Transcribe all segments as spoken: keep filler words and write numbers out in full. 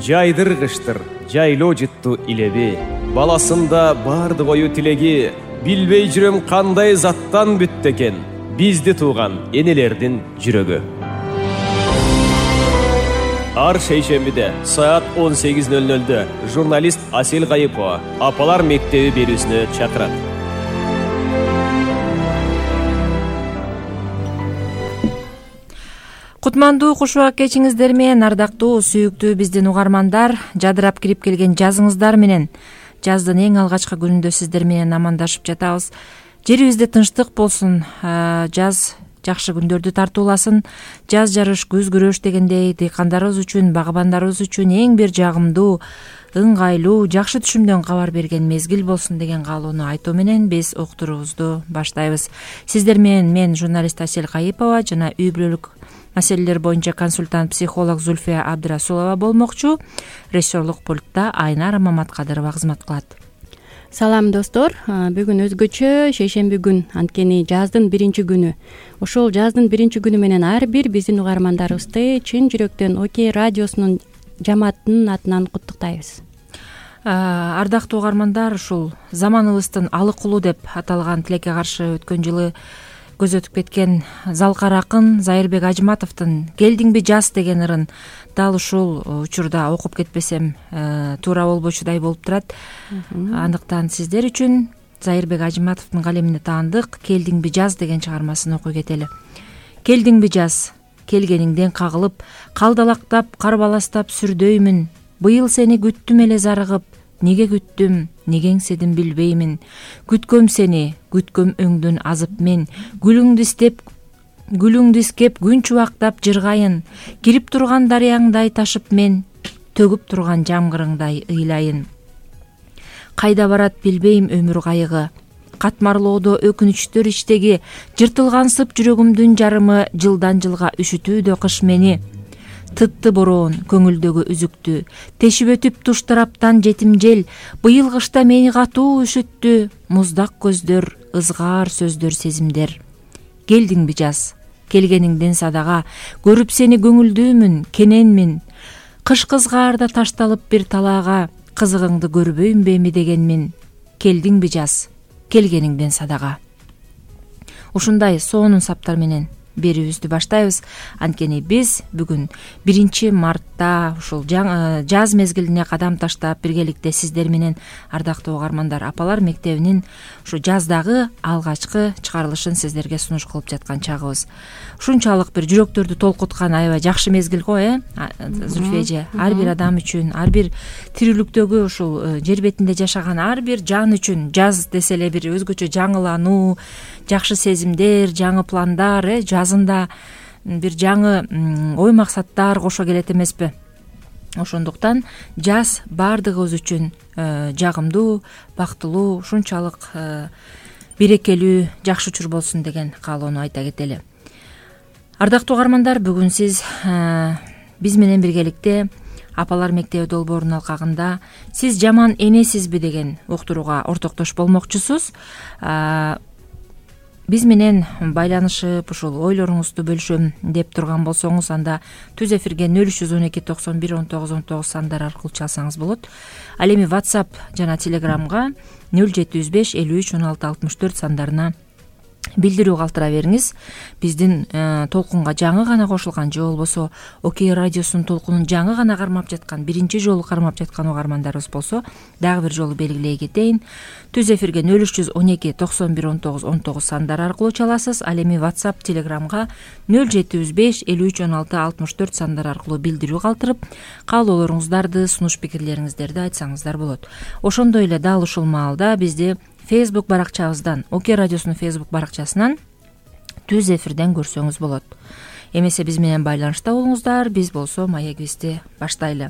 жайдыргычтыр жайлоо жытту илеби. Баласында барды кою тилеги, билбей жүрөм кандай заттан бүттү экен бизди тууган энелердин жүрөгү. Ар шейшембиде саат он сегиз ноль нольдө журналист Асель Кайыпова апалар мектеби берүүсүнө чакырат. Кутмандуу куш убак кечиңиздер менен, ардактуу сүйүктүү биздин угармандар, жадырап кирип келген жазыңыздар менен жаздын эң алгачкы күнүндө сиздер менен амандашып жатабыз. Жерибизде тынчтык болсун, жаз жакшы күндөрдү тартууласын. Жаз жарыш, күз күрөш дегендей дыйкандарыбыз үчүн, багабандарыбыз үчүн эң бир жагымдуу, ыңгайлуу, жакшы түшүмдөн кабар берген мезгил болсун деген каалоону айтуу менен биз уктуруубузду баштайбыз. Сиздер менен мен журналист Асель Кайыпова жана үй бүлөлүк маселелер боюнча консультант психолог Зульфия Абдрасулова болмокчу. Режиссерлук пультта Айнара Маматкадырова кызмат кылат. Салам достор, бүгүн өзгөчө шейшемби күн, анткени жаздын биринчи күнү. Ошол жаздын биринчи күнү менен ар бир биздин угармандарыбызды чын жүрөктөн Окей радиосунун жамаатынын атынан куттуктайбыз. Ардактуу угармандар, ушул заманыбыздын алык улу деп аталган тилекке каршы өткөн жылы көз өтүп кеткен залкар акын Зайырбек Ажматовдун «Келдиңби жаз» деген ырын дал ушул учурда окуп кетпесем туура болбочудай болуп турат. Андыктан сиздер үчүн Зайырбек Ажматовдун калемине таандык «Келдиңби жаз» деген чыгармасын окуй кетели. Келдиңби жаз, келгениңден кагылып, калдалактап, карбаластап сүрдөймүн. Быйыл сени күттүм эле зарыгып, неге күттүм, негеңседим билбеймин. Күткөм сени, күткөм өңдөн азып мен, гүлүңдү истеп, гүлүңдү искеп күн чубактап жыргайын. Кирип турган дарыяңдай ташып мен, төгүп турган жамгырыңдай ыйлайын. Кайда барат билбейм өмүр кайыгы, катмарлоодо өкүнүчтөр иштеги, жыртылгансып жүрөгүмдүн жарымы, жылдан жылга үшүтүүдө кыш мени. Тытты бороон көңүлдөгү үзүктү, тешип өтүп туш тараптан жетим жел, быйыл кышта мени катуу үшүттү, муздак көздөр, ызгаар сөздөр, сезимдер. Келдиңби жаз, келгениңден садага, көрүп сени көңүлдүүмүн, кененмин. Кыш кызгаарда ташталып бир талаага, кызыгыңды көрбөймбү эми дегенмин. Келдиңби жаз, келгениңден садага. Ушундай сонун саптар менен берүүбүздү баштайбыз. Анткени биз бүгүн биринчи мартта ушул жаз мезгилине кадам таштап биргеликте сиздер менен, ардактуу угармандар, апалар мектебинин ушу жаздагы алгачкы чыгарылышын сиздерге сунуш кылып жаткан чагыбыз. Ушунчалык бир жүрөктөрдү толкуткан аябай жакшы мезгил го, э, Зульфия эже? Ар бир адам үчүн, ар бир тирүүлүктөгү ушул жер бетинде жашаган ар бир жан үчүн жаз десе эле бир өзгөчө жаңылануу, жакшы сезимдер, жаңы пландар, э, жазында бир жаңы ой максаттар кошо келет эмеспи? Ошондуктан жаз баардыгыбыз үчүн жагымдуу, бактылуу, ушунчалык берекелүү, жакшы учур болсун деген каалоону айта кетели. Ардактуу угармандар, бүгүн сиз биз менен биргеликте апалар мектеби долбоорунун алкагында «Сиз жаман энесизби?» деген уктурууга ортоктош болмокчусуз. Биз менен байланышып, ушул ойлоруңузду бөлүшөм деп турган болсоңуз, анда түз эфирге нөл үч жүз он эки токсон бир он тогуз он тогуз сандар аркылуу чалсаңыз болот. Ал эми WhatsApp жана Telegramга нөл жети жүз беш элүү үч он алты алтымыш төрт сандарына билдирүү калтыра бериңиз. Биздин толкунга жаңы гана кошулган же болбосо Окей радиосунун толкунун жаңы гана кармап жаткан, биринчи жолу кармап жаткан угармандарыбыз болсо, дагы бир жолу белгилей кетейин. Түз эфирге нөл үч жүз он эки токсон бир он тогуз он тогуз сандары аркылуу чаласыз. Ал эми WhatsApp, Telegramга нөл жети жүз беш элүү үч он алты алтымыш төрт сандары аркылуу билдирүү калтырып, каалоолоруңуздарды, сунуш пикирлериңиздерди айтсаңыздар болот. Ошондой эле дал ушул маалда бизди Facebook баракчабыздан, Окей радиосунун Facebook баракчасынан түз эфирден көрсөңүз болот. Эмесе биз менен байланышта болуңуздар, биз болсо маегибизди баштайлы.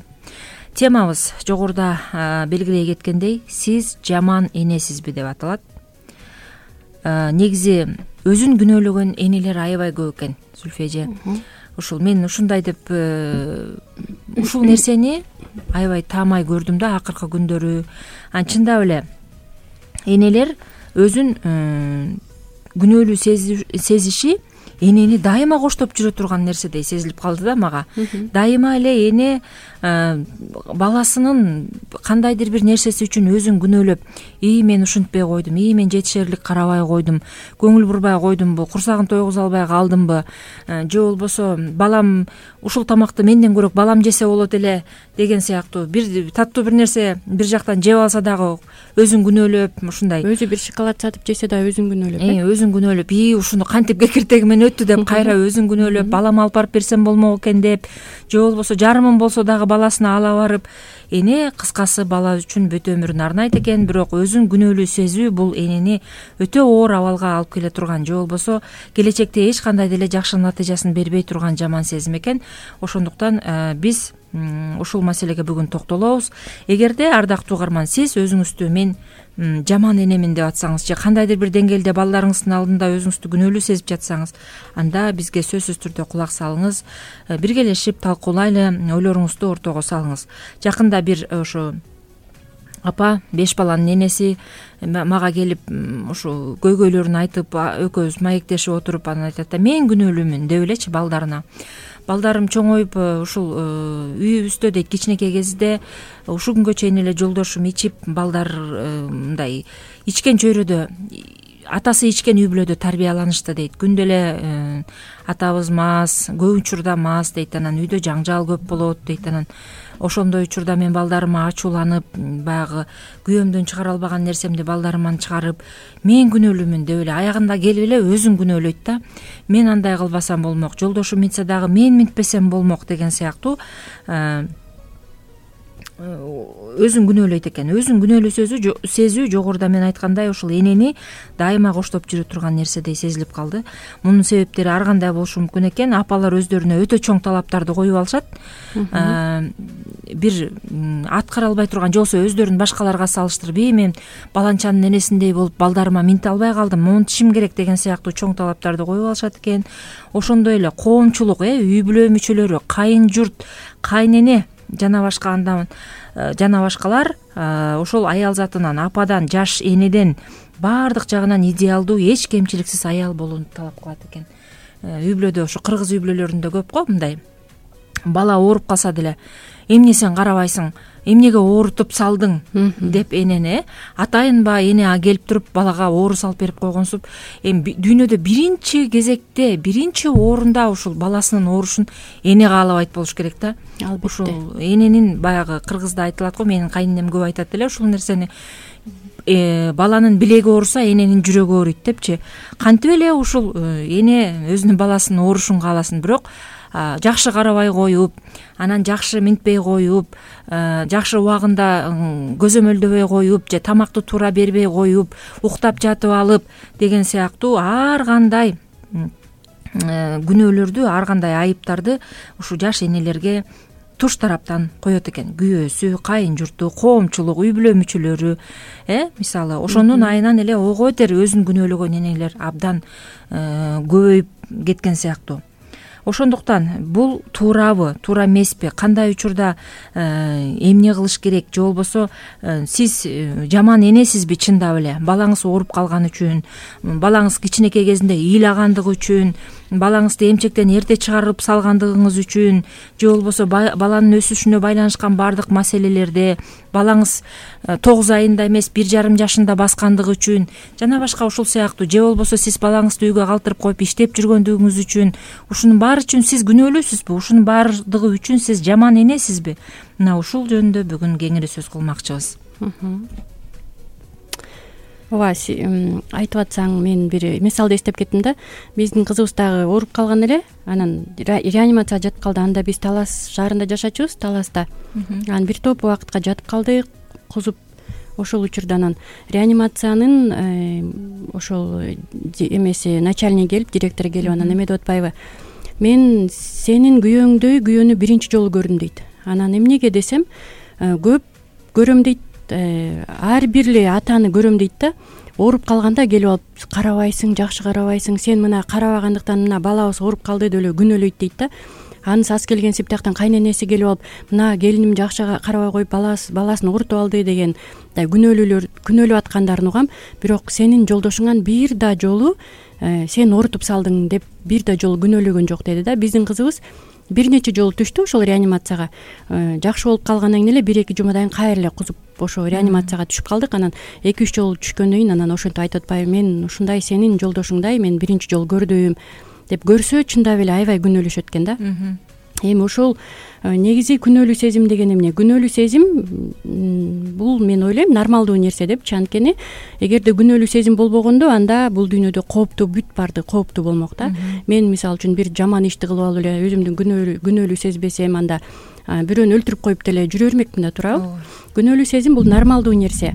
Темабыз жогоруда белгилей кеткендей, «Сиз жаман энесизби?» деп аталат. Негизи өзүн күнөөлөгөн энелер аябай көп экен, Зульфия эже. Ушул мен ушундай деп ушул нерсени аябай таамай көрдүм да акыркы күндөрү. Чындап эле энелер өзүн күнөөлүү сезиши энени дайыма коштоп жүрө турган нерседей сезилип калды да мага. Дайыма эле эне баласынын кандайдыр бир нерсеси үчүн өзүн күнөөлөп, ии мен ушинтпей койдум, ии мен жетишерлик карабай койдум, көңүл бурбай койдумбу, курсагын тойгуза албай калдымбы, же болбосо балам ушул тамакты менден көрөк балам жесе болот эле деген сыяктуу бир таттуу бир нерсе бир жактан жеп алса дагы өзүн күнөөлөп, ушундай өзү бир шоколад сатып жесе да өзүн күнөөлөп, э өзүн күнөөлөп, ии ушуну кантип кекиртегимен өттү деп кайра өзүн күнөөлөп, балама алып барып берсем болмок экен деп, же болбосо жарымын болсо дагы баласына ала барып, эне кыскасы бала үчүн бүт өмүрүн арнайт экен, бирок өзүн күнөөлүү сезүү бул энени өтө оор абалга алып келе турган, же болбосо келечекте эч кандай деле жакшы натыйжасын бербей турган жаман сезим экен. Ошондуктан биз ушул маселеге бүгүн токтолобуз. Эгерде ардактуу угарман, сиз өзүңүздү мен жаман энемин деп атсаңыз, же кандайдыр бир деңгээлде балдарыңыздын алдында өзүңүздү күнөөлүү сезип жатсаңыз, анда бизге сөзсүз түрдө кулак салыңыз, биргелешип талкуулайлы, ойлоруңузду ортого салыңыз. Жакында бир ошо апа, беш баланын энеси мага келип ушу көйгөйлөрүн айтып, экөөбүз маектешип отуруп, анан айтат да, мен күнөөлүүмүн деп элечи балдарына. Балдарым чоңоюп ушул үйүбүздө дейт, кичинекей кезинде ушул күнгө чейин эле жолдошум ичип, балдар мындай ичкен чөйрөдө, атасы ичкен үй бүлөдө тарбияланышты дейт. Күндө эле атабыз мас, көп учурда мас дейт, анан үйдө жаңжал көп болот дейт. Анан ошондой учурда мен балдарыма ачууланып, баягы күйөөмдөн чыгара албаган нерсемди балдарыман чыгарып, мен күнөөлүүмүн деп эле аягында келип эле өзүн күнөөлөйт да. Мен андай кылбасам болмок, жолдошум минтсе дагы мен минтпесем болмок деген сыяктуу өзүн күнөөлөйт экен. Өзүн күнөөлүү сөзү сезүү жогоруда мен айткандай ушул энени дайыма коштоп жүрө турган нерседей сезилип калды. Мунун себептери ар кандай болушу мүмкүн экен. Апалар өздөрүнө өтө чоң талаптарды коюп алышат. Бир аткара албай турган, же болбосо өздөрүн башкаларга салыштырып, ии мен баланчанын энесиндей болуп балдарыма минте албай калдым, монтишим керек деген сыяктуу чоң талаптарды коюп алышат экен. Ошондой эле коомчулук, э үй бүлө мүчөлөрү, кайын журт, кайнене жана башка андан жана башкалар ошол аял затынан, ападан, жаш энеден баардык жагынан идеалдуу, эч кемчиликсиз аял болууну талап кылат экен. Үй бүлөдө ошо кыргыз үй бүлөлөрүндө көп го мындай. Бала ооруп калса деле, эмне сен карабайсың, эмнеге оорутуп салдың деп энене, атайынба эне келип туруп балага оору салып берип койгонсуп, эми дүйнөдө биринчи кезекте, биринчи орунда ушул баласынын оорушун эне каалабайт болуш керек да. Албетте. Ушул эненин баягы кыргызда айтылат го, менин кайненем көп айтат эле ушул нерсени. Э, баланын билеги ооруса эненин жүрөгү ооруйт депчи. Кантип эле ушул эне өзүнүн баласынын оорушун кааласын, бирок жакшы карабай коюп, анан жакшы минтпей коюп, жакшы убагында көзөмөлдөбөй коюп, же тамакты туура бербей коюп, уктап жатып алып деген сыяктуу ар кандай күнөөлөрдү, ар кандай айыптарды ушу жаш энелерге туш тараптан коет экен. Күйөөсү, кайын журту, коомчулук, үй бүлө мүчөлөрү, э мисалы ошонун айынан эле ого бетер өзүн күнөөлөгөн энелер абдан көбөйүп кеткен сыяктуу. Ошондуктан бул туурабы, туура эмеспи, кандай учурда эмне кылыш керек, же болбосо сиз жаман энесизби чындап эле, балаңыз ооруп калган үчүн, балаңыз кичинекей кезинде ыйлагандыгы үчүн, балаңызды эмчектен эрте чыгарып салгандыгыңыз үчүн, же болбосо баланын өсүшүнө байланышкан баардык маселелерде балаңыз тогуз айында эмес бир жарым жашында баскандыгы үчүн, жана башка ушул сыяктуу, же болбосо сиз балаңызды үйгө калтырып коюп иштеп жүргөндүгүңүз үчүн, ушунун баары үчүн сиз күнөөлүүсүзбү, ушунун баардыгы үчүн сиз жаман энесизби? Мына ушул жөнүндө бүгүн кеңири сөз кылмакчыбыз. ооба, айтып атсаң мен бир мисалды эстеп кеттим да. Биздин кызыбыз дагы ооруп калган эле, анан реанимацияга жатып калды. Анда биз Талас шаарында жашачубуз, Таласта. Анан бир топ убакытка жатып калды, кузуп. Ошол учурда анан реанимациянын ошол эмеси начальниги келип, директору келип анан эме деп атпайбы, мен сенин күйөөңдөй күйөөнү биринчи жолу көрдүм дейт. Анан эмнеге десем, көп көрөм дейт, ар бир эле атаны көрөм дейт да. Ооруп калганда келип алып, карабайсың, жакшы карабайсың, сен мына карабагандыктан мына балабыз ооруп калды деп эле күнөөлөйт дейт да. Анысы аз келген сыптактан кайненеси келип алып, мына келиним жакшы карабай коюп баласын оорутуп алды деген күнөөлүүлөр күнөөлөп аткандарын угам. Бирок сенин жолдошуңан бир да жолу сен оорутуп салдың деп бир да жолу күнөөлөгөн жок деди да. Биздин кызыбыз бир нече жолу түштү ошол реанимацияга. Жакшы болуп калгандан кийин эле бир эки жумадан кийин кайра эле кузуп ошо реанимацияга түшүп калдык. Анан эки үч жолу түшкөндөн кийин анан ошентип айтып атпайбы, мен ушундай сенин жолдошуңдай мен биринчи жолу көрдүм деп көрсө чындап эле аябай күнөөлөшөт экен да. Эми ошол негизи күнөөлүү сезим деген эмне? Күнөөлүү сезим бул мен ойлойм нормалдуу нерсе депчи. Анткени эгерде күнөөлүү сезим болбогондо анда бул дүйнөдө кооптуу бүт баардыгы кооптуу болмок да. Мен мисалы үчүн бир жаман ишти кылып алып эле өзүмдү күнөөлүү күнөөлүү сезбесем, анда бирөөнү өлтүрүп коюп деле жүрө бермекмин да, туурабы? Күнөөлүү сезим бул нормалдуу нерсе.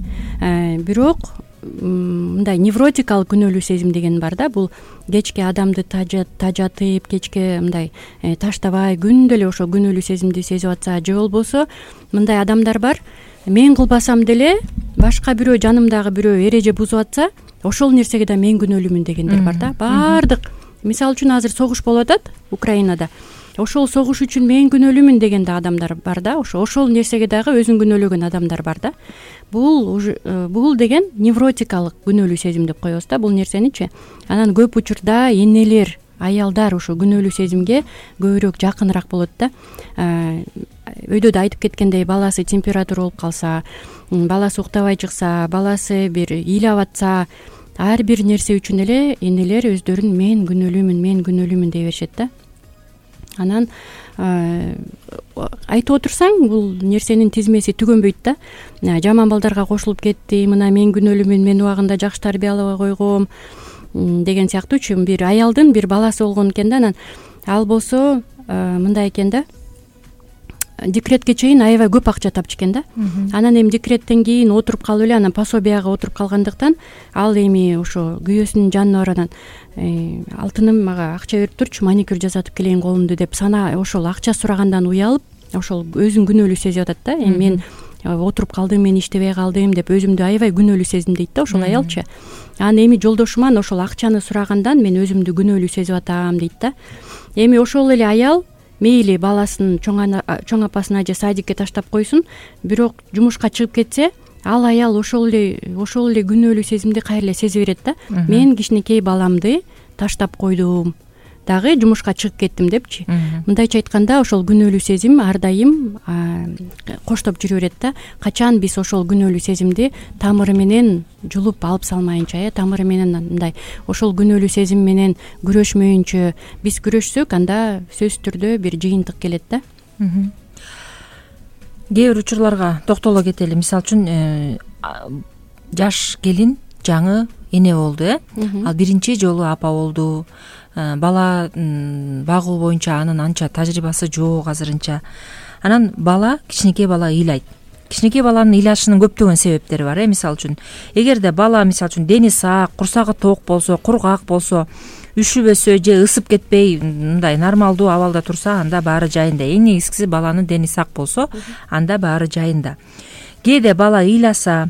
Бирок мындай невротикалык күнөөлүү сезим деген бар да. Бул кечке адамды тажатып, кечке мындай таштабай күндө эле ошо күнөөлүү сезимди сезип атса, же болбосо мындай адамдар бар, мен кылбасам деле башка бирөө, жанымдагы бирөө эреже бузуп атса, ошол нерсеге да мен күнөөлүүмүн дегендер бар да. Баардык, мисалы үчүн азыр согуш болуп атат Украинада. Ошол согуш үчүн мен күнөөлүүмүн деген да адамдар бар да. Ошо ошол нерсеге дагы өзүн күнөөлөгөн адамдар бар да. Бул бул деген невротикалык күнөөлүү сезим деп коебуз да бул нерсеничи. Анан көп учурда энелер, аялдар ошо күнөөлүү сезимге көбүрөөк жакыныраак болот да. Өйдө да айтып кеткендей, баласы температура болуп калса, баласы уктабай чыкса, баласы бир ыйлап атса, ар бир нерсе үчүн эле энелер өздөрүн мен күнөөлүүмүн, мен күнөөлүүмүн дей беришет да. Анан айтып отурсаң, бул нерсенин тизмеси түгөнбөйт да. Жаман балдарга кошулуп кетти, мына мен күнөөлүүмүн, мен убагында жакшы тарбиялабай койгом деген сыяктуучу бир аялдын бир баласы болгон экен да. Анан ал болсо мындай экен да, декретке чейин аябай көп акча тапчу экен да. Анан эми декреттен кийин отуруп калып эле, анан пособияга отуруп калгандыктан ал эми ошо күйөөсүнүн жанына барып анан алтыным мага акча берип турчу, маникюр жасатып келейин колумду деп сана ошол акча сурагандан уялып, ошол өзүн күнөөлүү сезип атат да. Эми мен отуруп калдым, мен иштебей калдым деп өзүмдү аябай күнөөлүү сезимдейт да ошол аялчы. Анан эми жолдошуман ошол акчаны сурагандан мен өзүмдү күнөөлүү сезип атам дейт да. Эми ошол эле аял мейли баласын чоң апасына же садикке таштап койсун, бирок жумушка чыгып кетсе, ал аял ошол эле ошол эле күнөөлүү сезимди кайра эле сезе берет да. Мен кичинекей баламды таштап койдум, дагы жумушка чыгып кеттим депчи. Мындайча айтканда, ошол күнөөлүү сезим ар дайым коштоп жүрө берет да. Качан биз ошол күнөөлүү сезимди тамыры менен жулуп алып салмайынча, э тамыры менен мындай ошол күнөөлүү сезим менен күрөшмөйүнчө биз күрөшсөк, анда сөзсүз түрдө бир жыйынтык келет да. Кээ бир учурларга токтоло кетели. Мисалы үчүн жаш келин жаңы эне болду, э ал биринчи жолу апа болду. Бала багуу боюнча анын анча тажрыйбасы жок азырынча. Анан бала, кичинекей бала ыйлайт. Кичинекей баланын ыйлашынын көптөгөн себептери бар, э мисалы үчүн эгерде бала мисалы үчүн дени сак, курсагы ток болсо, кургак болсо, үшүбөсө же ысып кетпей мындай нормалдуу абалда турса, анда баары жайында. Эң негизгиси баланын дени сак болсо, анда баары жайында. Кээде бала ыйласа,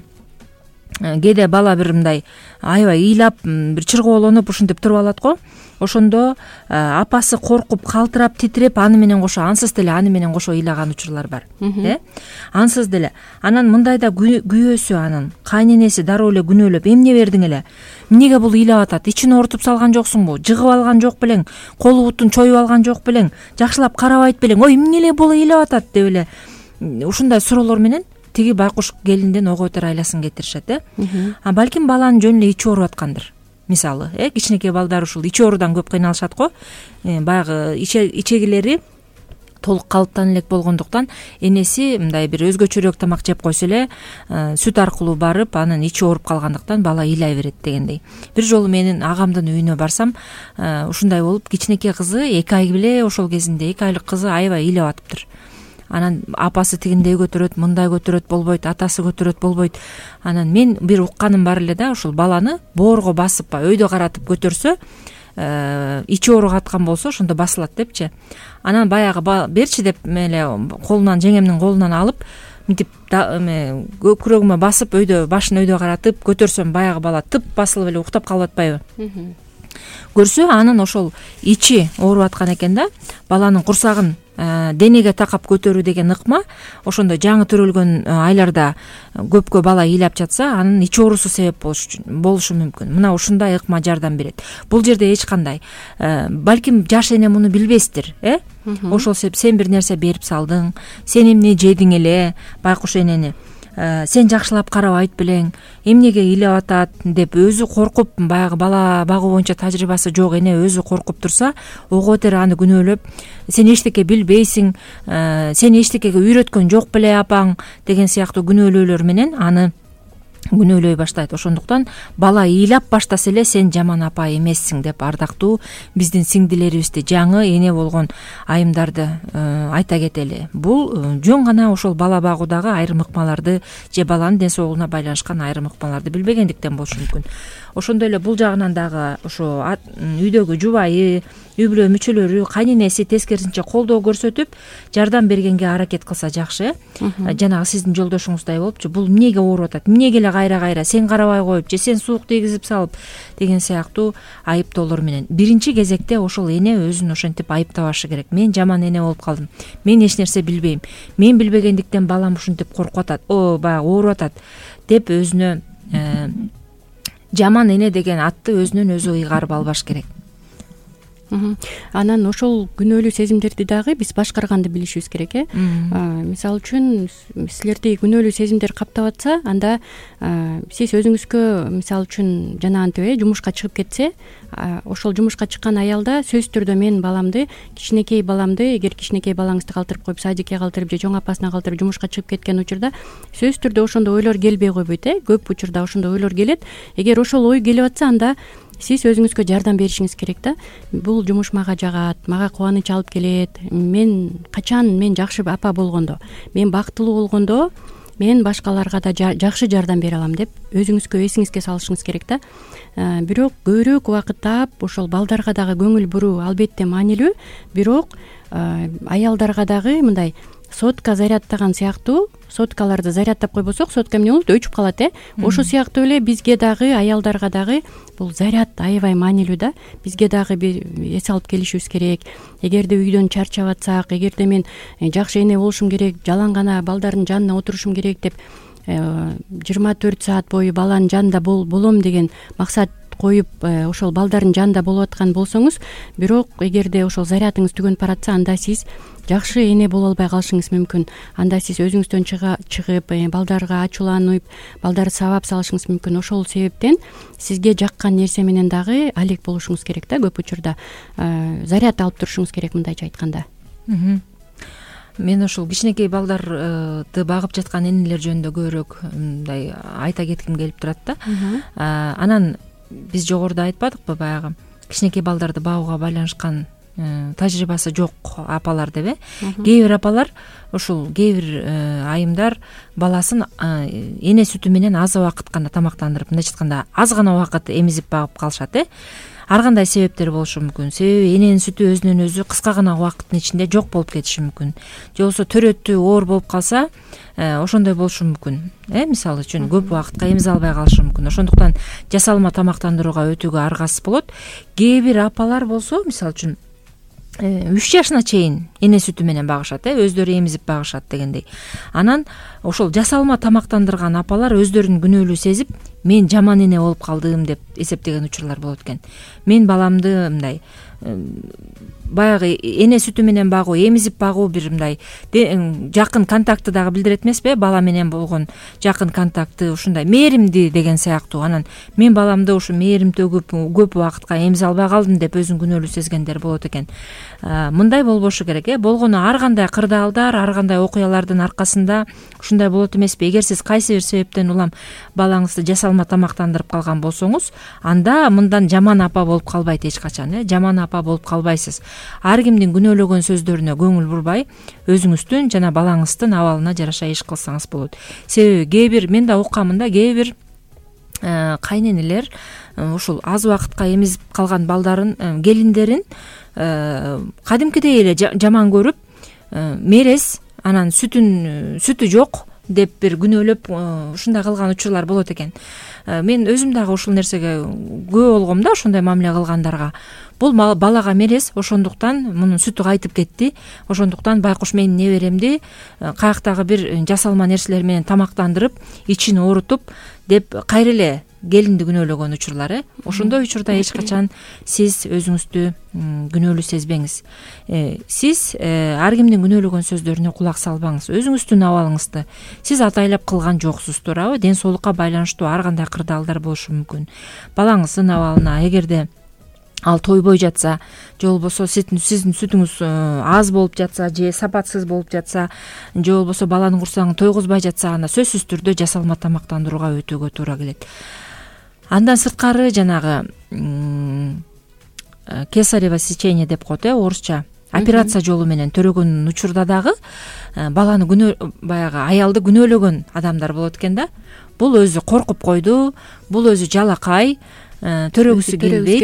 кээде бала бир мындай аябай ыйлап, бир чыргоолонуп ушинтип туруп алат го. Ошондо апасы коркуп, калтырап, титиреп, аны менен кошо ансыз деле аны менен кошо ыйлаган учурлар бар, э ансыз деле. Анан мындайда күйөөсү, анын кайненеси дароо эле күнөөлөп, эмне бердиң эле, эмнеге бул ыйлап атат, ичин оорутуп салган жоксуңбу, жыгып алган жок белең, колу бутун чоюп алган жок белең, жакшылап карабайт белең, ой эмне эле бул ыйлап атат деп эле ушундай суроолор менен тиги байкуш келинден ого бетер айласын кетиришет, э а балким баланын жөн эле ичи ооруп аткандыр. Мисалы, э кичинекей балдар ушул ичи оорудан көп кыйналышат го. Баягы ичегилери толук калыптан элек болгондуктан энеси мындай бир өзгөчөрөөк тамак жеп койсо эле сүт аркылуу барып, анын ичи ооруп калгандыктан бала ыйлай берет дегендей. Бир жолу менин агамдын үйүнө барсам, ушундай болуп, кичинекей кызы эки ай беле, ошол кезинде эки айлык кызы аябай ыйлап атыптыр. Анан апасы тигиндей көтөрөт, мындай көтөрөт болбойт, атасы көтөрөт болбойт. Анан мен бир укканым бар эле да, ушул баланы боорго басып, өйдө каратып көтөрсө, ичи ооруп аткан болсо, ошондо басылат депчи. Анан баягы берчи деп эле колунан, жеңемдин колунан алып, мынтип күрөгүмө басып, өйдө башын өйдө каратып көтөрсөм, баягы бала тып басылып эле уктап калып атпайбы? Көрсө, анын ошол ичи ооруп аткан экен да, баланын курсагын денеге такап көтөрүү деген ыкма ошондо жаңы төрөлгөн айларда көпкө бала ыйлап жатса анын ич оорусу себеп болушу мүмкүн. Мына ушундай ыкма жардам берет. Бул жерде эч кандай балким жаш эне муну билбестир, э ошол себеп сен бир нерсе берип салдың, сен эмне жедиң эле байкуш энени, сен жакшылап карабайт белең, эмнеге ыйлап атат деп өзү коркуп, баягы бала багуу боюнча тажрыйбасы жок эне өзү коркуп турса, ого бетер аны күнөөлөп, сен эчтеке билбейсиң, сени эчтекеге үйрөткөн жок беле апаң деген сыяктуу күнөөлөөлөр менен аны күнөөлөй баштайт. Ошондуктан бала ыйлап баштаса эле сен жаман апа эмессиң деп ардактуу биздин сиңдилерибизди, жаңы эне болгон айымдарды айта кетели. Бул жөн гана ошол бала багуудагы айрым ыкмаларды же баланын ден соолугуна байланышкан айрым ыкмаларды билбегендиктен болушу мүмкүн. Ошондой эле бул жагынан дагы ошо үйдөгү жубайы, үй бүлө мүчөлөрү, кайненеси тескерисинче колдоо көрсөтүп, жардам бергенге аракет кылса жакшы. Жанагы сиздин жолдошуңуздай болупчу, бул эмнеге ооруп атат, эмнеге эле кайра-кайра сен карабай коюп же сен суук тийгизип салып деген сыяктуу айыптоолор менен. Биринчи кезекте ошол эне өзүн ошентип айыптабашы керек. Мен жаман эне болуп калдым. Мен эч нерсе билбейм. Мен билбегендиктен балам ушинтип коркуп атат, о баягы ооруп атат деп өзүнө жаман эне деген атты өзүнөн өзү ыйгарып албаш керек. Анан ошол күнөөлүү сезимдерди дагы биз башкарганды билишибиз керек, э. Мисалы үчүн силерди күнөөлүү сезимдер каптап атса, анда сиз өзүңүзгө мисалы үчүн жанагынтип э жумушка чыгып кетсе, ошол жумушка чыккан аялда сөзсүз түрдө мен баламды, кичинекей баламды, эгер кичинекей балаңызды калтырып коюп, садикке калтырып же чоң апасына калтырып жумушка чыгып кеткен учурда сөзсүз түрдө ошондой ойлор келбей койбойт, э. Көп учурда ошондой ойлор келет. Эгер ошол ой келип атса, анда сиз өзүңүзгө жардам беришиңиз керек да. Бул жумуш мага жагат, мага кубаныч алып келет. Мен качан мен жакшы апа болгондо, мен бактылуу болгондо мен башкаларга да жакшы жардам бере алам деп өзүңүзгө эсиңизге салышыңыз керек да. Бирок көбүрөөк убакыт таап ошол балдарга дагы көңүл буруу албетте маанилүү, бирок аялдарга дагы мындай сотка зарядтаган сыяктуу, соткаларды зарядтап койбосок, сотка эмне болот, өчүп калат, э. Ошо сыяктуу эле бизге дагы, аялдарга дагы бул заряд аябай маанилүү да. Бизге дагы эс алып келишибиз керек. Эгерде үйдөн чарчап атсак, эгерде мен жакшы эне болушум керек, жалаң гана балдардын жанына отурушум керек деп жыйырма төрт саат бою баланын жанында болом деген максат коюп ошол балдардын жанында болуп аткан болсоңуз, бирок эгерде ошол зарядыңыз түгөнүп баратса, анда сиз жакшы эне боло албай калышыңыз мүмкүн. Анда сиз өзүңүздөн чыгып, балдарга ачууланып, балдарды сабап салышыңыз мүмкүн. Ошол себептен сизге жаккан нерсе менен дагы алек болушуңуз керек да. Көп учурда заряд алып турушуңуз керек, мындайча айтканда. Мен ошол кичинекей балдарды багып жаткан энелер жөнүндө көбүрөөк мындай айта кетким келип турат да. Анан биз жогоруда айтпадыкпы, баягы кичинекей балдарды багууга байланышкан тажрыйбасы жок апалар деп, э. Кээ бир апалар, ушул кээ бир айымдар баласын эне сүтү менен аз убакыт гана тамактандырып, мындайча айтканда аз гана убакыт эмизип багып калышат, э. Ар кандай себептер болушу мүмкүн. Себеби эненин сүтү өзүнөн өзү кыска гана убакыттын ичинде жок болуп кетиши мүмкүн. Же болбосо төрөтү оор болуп калса, ошондой болушу мүмкүн. Э, мисалы үчүн көп убакытка эмизе албай калышы мүмкүн. Ошондуктан жасалма тамактандырууга өтүүгө аргасыз болот. Кээ бир апалар болсо, мисалы үчүн үч жашына чейин эне сүтү менен багышат, э, өздөрү эмизип багышат дегендей. Анан ошол жасалма тамактандырган апалар өздөрүн күнөөлүү сезип, мен жаман эне болуп калдым деп эсептеген учурлар болот экен. Мен баламды мындай баягы эне сүтү менен багуу, эмизип багуу бир мындай жакын контактты дагы билдирет эмеспи? Бала менен болгон жакын контактты, ушундай мээримди деген сыяктуу. Анан мен баламды ушу мээрим төгүп көп убакытка эмизе албай калдым деп өзүн күнөөлүү сезгендер болот экен. Мындай болбошу керек, э. Болгону ар кандай кырдаалдар, ар кандай окуялардын аркасында ушундай болот эмеспи? Эгер сиз кайсы бир себептен улам балаңызды жасалма тамактандырып калган болсоңуз, анда мындан жаман апа болуп калбайт эч качан, э. Жаман апа болуп калбайсыз. Ар кимдин күнөөлөгөн сөздөрүнө көңүл бурбай, өзүңүздүн жана балаңыздын абалына жараша иш кылсаңыз болот. Себеби кээ бир мен да уккамын да, кээ бир кайненелер ушул аз убакытка эмизип калган балдарын, келиндерин кадимкидей эле жаман көрүп, мерез, анан сүтүн сүтү жок, деп бир күнөөлөп ушундай кылган учурлар болот экен. Мен өзүм дагы ушул нерсеге күбө болгом да, ошондой мамиле кылгандарга. Бул балага мерез, ошондуктан мунун сүтү кайтып кетти, ошондуктан байкуш менин неберемди каяктагы бир жасалма нерселер менен тамактандырып, ичин оорутуп деп кайра эле келинди күнөөлөгөн учурлар. э Ошондой учурда эч качан сиз өзүңүздү күнөөлүү сезбеңиз. Сиз ар кимдин күнөөлөгөн сөздөрүнө кулак салбаңыз. Өзүңүздүн абалыңызды сиз атайлап кылган жоксуз, туурабы? Ден соолукка байланыштуу ар кандай кырдаалдар болушу мүмкүн. Балаңыздын абалына эгерде ал тойбой жатса, же болбосо сиздин сүтүңүз аз болуп жатса, же сапатсыз болуп жатса, же болбосо баланын курсагын тойгузбай жатса, анда сөзсүз түрдө жасалма тамактандырууга өтүүгө туура келет. Андан сырткары жанагы кесарево сечение деп коет, э орусча операция жолу менен төрөгөн учурда дагы баланы күнөө баягы аялды күнөөлөгөн адамдар болот экен да. Бул өзү коркуп койду, бул өзү жалакай, төрөгүсү келбейт,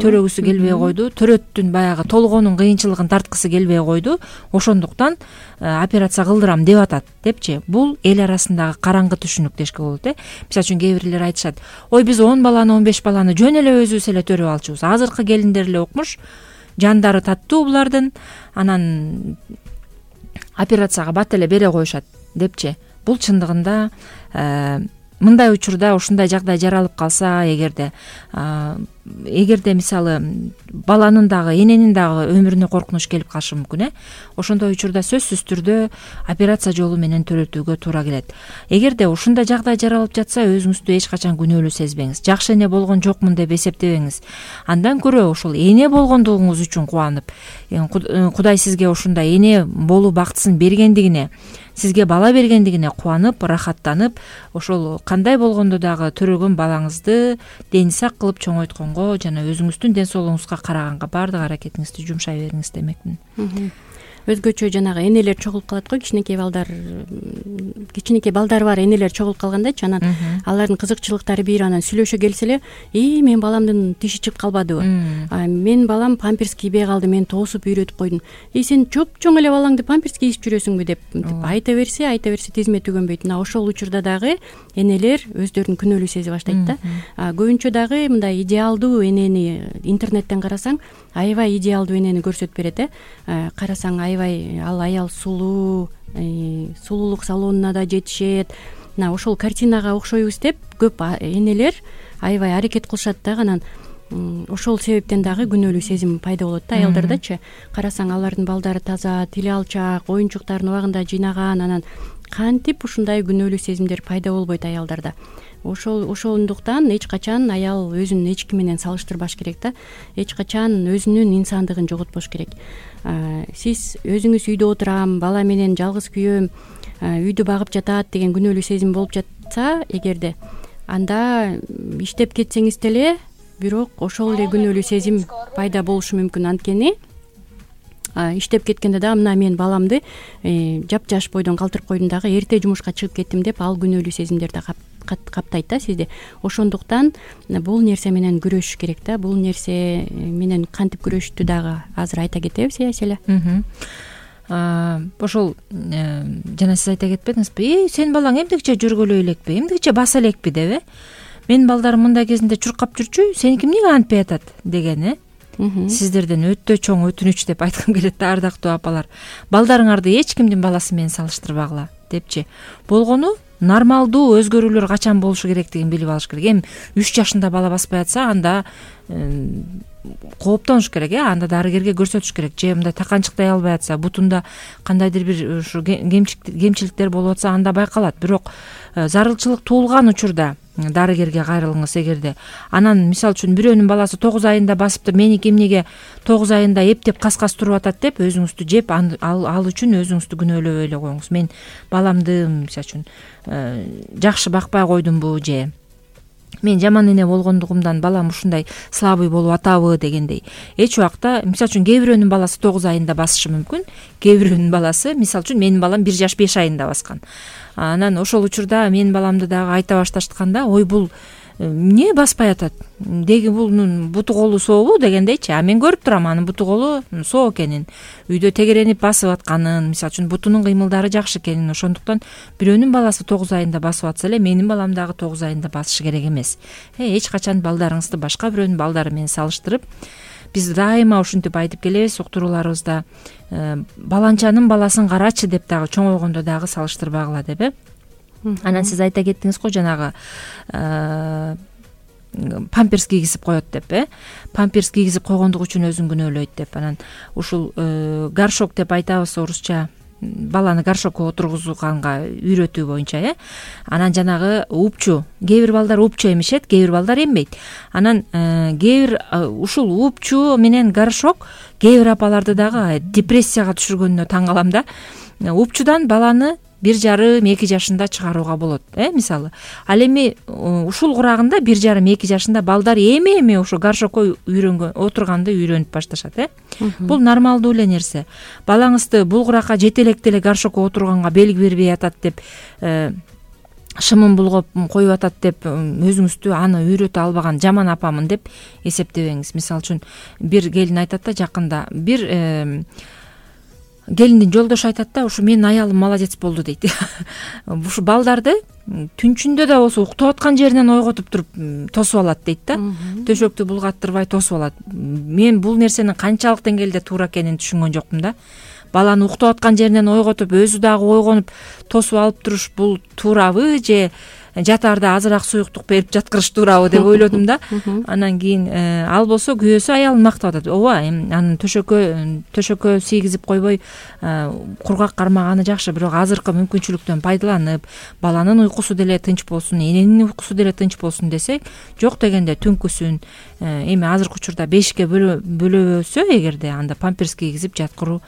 төрөгүсү келбей койду, төрөттүн баягы толгоонун кыйынчылыгын тарткысы келбей койду, ошондуктан операция кылдырам деп атат депчи. Бул эл арасындагы караңгы түшүнүк дешке болот. э Мисалы үчүн кээ бирлер айтышат: ой, биз он баланы, он беш баланы жөн эле өзүбүз эле төрөп алчубуз. Азыркы келиндер эле укмуш, жандары таттуу булардын, анан операцияга бат эле бере коюшат депчи. Бул чындыгында мындай учурда ушундай жагдай жаралып калса, эгерде эгерде мисалы баланын дагы эненин дагы өмүрүнө коркунуч келип калышы мүмкүн. э Ошондой учурда сөзсүз түрдө операция жолу менен төрөтүүгө туура келет. Эгерде ушундай жагдай жаралып жатса, өзүңүздү эч качан күнөөлүү сезбеңиз. Жакшы эне болгон жокмун деп эсептебеңиз. Андан көрө ошол эне болгондугуңуз үчүн кубанып, Кудай сизге ушундай эне болуу бактысын бергендигине, сизге бала бергендигине кубанып, рахаттанып, ошол кандай болгондо дагы төрөгөн балаңызды дени сак кылып чоңойтконго жана өзүңүздүн ден соолугуңузга караганга баардык аракетиңизди жумшай бериңиз демекмин. Өзгөчө жанагы энелер чогулуп калат го, кичинекей балдар кичинекей балдары бар энелер чогулуп калгандачы, анан алардын кызыкчылыктары бир, анан сүйлөшө келсе эле: "И, мен баламдын тиши чыгып калбадыбы? Мен балам памперс кийбей калды, мен тоосуп үйрөтүп койдум. И сен чоп-чоң эле балаңды памперс кийип жүрөсүңбү?" деп айта берсе, айта берсе тизме түгөнбөйт. Мына ошол учурда дагы энелер өздөрүн күнөөлүү сезе баштайт да. Көбүнчө дагы мындай идеалдуу энени интернеттен карасаң, аябай идеалдуу энени көрсөтүп берет. э Карасаң аябай ал аял сулуу, сулуулук салонуна да жетишет. Мына ошол картинага окшойбуз деп көп энелер аябай аракет кылышат да. Анан ошол себептен дагы күнөөлүү сезим пайда болот да аялдардачы. Карасаң алардын балдары таза, тили алчак, оюнчуктарын убагында жыйнаган, анан кантип ушундай күнөөлүү сезимдер пайда болбойт аялдарда. Ошол ошондуктан эч качан аял өзүн эч ким менен салыштырбаш керек да. Эч качан өзүнүн инсандыгын жоготпош керек. Сиз өзүңүз үйдө отурам, бала менен жалгыз күйөм, үйдү багып жатат деген күнөөлүү сезим болуп жатса, эгерде анда иштеп кетсеңиз деле, бирок ошол эле күнөөлүү сезим пайда болушу мүмкүн. Анткени иштеп кеткенде дагы мына мен баламды жапжаш бойдон калтырып койдум дагы, эрте жумушка чыгып кеттим деп ал күнөөлүү сезимдер да каптайт да сизди. Ошондуктан бул нерсе менен күрөшүш керек да. Бул нерсе менен кантип күрөшүштү дагы азыр айта кетебиз, э Аселя? Ошол жана сиз айта кетпедиңизби? "Э, сенин балаң эмдигиче жүргөлөй элекпи? Эмдигиче баса элекпи?" деп, э "Менин балдарым мындай кезинде чуркап жүрчү, сеники эмнеге антпай атат?" деген, э Сиздерден өтө чоң өтүнүч деп айткым келет да, ардактуу апалар. Балдарыңарды эч кимдин баласы менен салыштырбагыла депчи. Болгону нормалдуу өзгөрүүлөр качан болушу керектигин билип алыш керек. Эми үч жашында бала баспай атса, анда кооптонуш керек, э анда дарыгерге көрсөтүш керек. Же мындай таканчыктай албай атса, бутунда кандайдыр бир ушу кемчиликтер болуп атса, анда байкалат. Бирок зарылчылык туулган учурда дарыгерге кайрылыңыз. Эгерде анан мисалы үчүн бирөөнүн баласы тогуз айында басыптыр, меники эмнеге тогуз айында эптеп каскас туруп атат деп өзүңүздү жеп, ал ал үчүн өзүңүздү күнөөлөбөй эле коюңуз. Мен баламды мисалы үчүн жакшы бакпай койдумбу, же мен жаман эне болгондугумдан балам ушундай слабый болуп атабы дегендей. Эч убакта мисалы үчүн кээ бирөөнүн баласы тогуз айында басышы мүмкүн, кээ бирөөнүн баласы мисалы үчүн менин балам бир жаш беш айында баскан. Анан ошол учурда менин баламды дагы айта башташканда, ой бул эмне баспай атат, деги бунун буту колу сообу дегендейчи. А мен көрүп турам анын буту колу соо экенин, үйдө тегеренип басып атканын, мисалы үчүн бутунун кыймылдары жакшы экенин. Ошондуктан бирөөнүн баласы тогуз айында басып атса эле менин балам дагы тогуз айында басышы керек эмес. Эч качан балдарыңызды башка бирөөнүн балдары менен салыштырып, биз дайыма ушинтип айтып келебиз уктурууларыбызда, баланчанын баласын карачы деп дагы чоңойгондо дагы салыштырбагыла деп э. Анан сиз айта кеттиңиз го жанагы памперс кийгизип коет деп э. Памперс кийгизип койгондугу үчүн өзүн күнөөлөйт деп. Анан ушул горшок деп айтабыз орусча, баланы горшокко отургузганга үйрөтүү боюнча э. Анан жанагы упчу, кээ бир балдар упчу эмишет, кээ бир балдар эмбейт. Анан кээ бир ушул упчу менен горшок кээ бир апаларды дагы депрессияга түшүргөнүнө таң калам да. Упчудан баланы бир жарым эки жашында чыгарууга болот э, мисалы. Ал эми ушул курагында бир жарым эки жашында балдар эми эми ошо горшокко үйрөнгөн, отурганды үйрөнүп башташат э. Бул нормалдуу эле нерсе. Балаңызды бул куракка жетелекте эле горшокко отурганга белги бербей атат деп, шымын булгоп коюп атат деп өзүңүздү аны үйрөтө албаган жаман апамын деп эсептебеңиз. Мисалы үчүн бир келин айтат да, жакында бир келиндин жолдошу айтат да, ушу менин аялым молодец болду дейт. Ушу балдарды түнчүндө да болсо уктап аткан жеринен ойготуп туруп тосуп алат дейт да. Төшөктү булгаттырбай тосуп алат. Мен бул нерсенин канчалык деңгээлде туура экенин түшүнгөн жокмун да. Баланы уктап аткан жеринен ойготуп, өзү дагы ойгонуп тосуп алып туруш бул туурабы же жатаарда азыраак суюктук берип жаткырыш туурабы деп ойлодум да. Анан кийин ал болсо күйөөсү аялын мактап атат. Ооба, анын төшөккө төшөккө сейгизип койбой кургак кармаганы жакшы, бирок азыркы мүмкүнчүлүктөн пайдаланып, баланын уйкусу деле тынч болсун, эненин уйкусу деле тынч болсун десек, жок дегенде түнкүсүн эми азыркы учурда бешикке бөлөбөсө эгерде, анда памперс кийгизип жаткыруу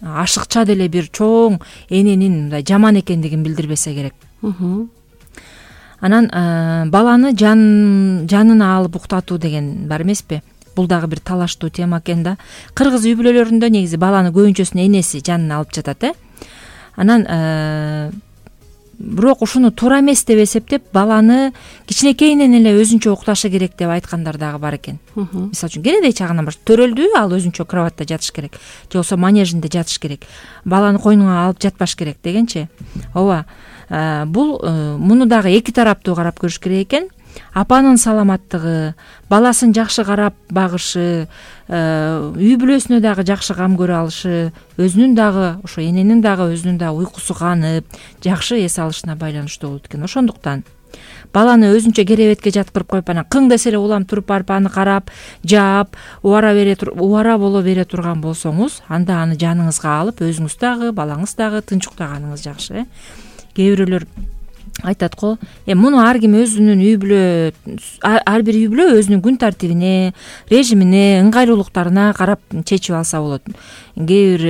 ашыкча деле бир чоң эненин мындай жаман экендигин билдирбесе керек. Анан баланы жан жанына алып уктатуу деген бар эмеспи? Бул дагы бир талаштуу тема экен да. Кыргыз үй бүлөлөрүндө негизи баланы көбүнчөсүн энеси жанына алып жатат э. Анан бирок ушуну туура эмес деп эсептеп, баланы кичинекейинен эле өзүнчө укташы керек деп айткандар дагы бар экен. Мисалы үчүн кенедей чагынан баштап төрөлдү, ал өзүнчө кроватта жатыш керек, же болбосо манежинде жатыш керек. Баланы койнуңа алып жатпаш керек дегенчи. Ооба. Бул муну дагы эки тараптуу карап көрүш керек экен. Апанын саламаттыгы, баласын жакшы карап багышы, үй бүлөсүнө дагы жакшы кам көрө алышы, өзүнүн дагы ошо эненин дагы өзүнүн дагы уйкусу канып, жакшы эс алышына байланыштуу болот экен. Ошондуктан баланы өзүнчө керебетке жаткырып коюп, анан кың десе эле улам туруп барып аны карап, жаап, убара бере убара боло бере турган болсоңуз, анда аны жаныңызга алып, өзүңүз дагы, балаңыз дагы тынч уктаганыңыз жакшы э. Кээ бирөөлөр айтат го, э муну ар ким өзүнүн үй бүлө, ар бир үй бүлө өзүнүн күн тартибине, режимине, ыңгайлуулуктарына карап чечип алса болот. Кээ бир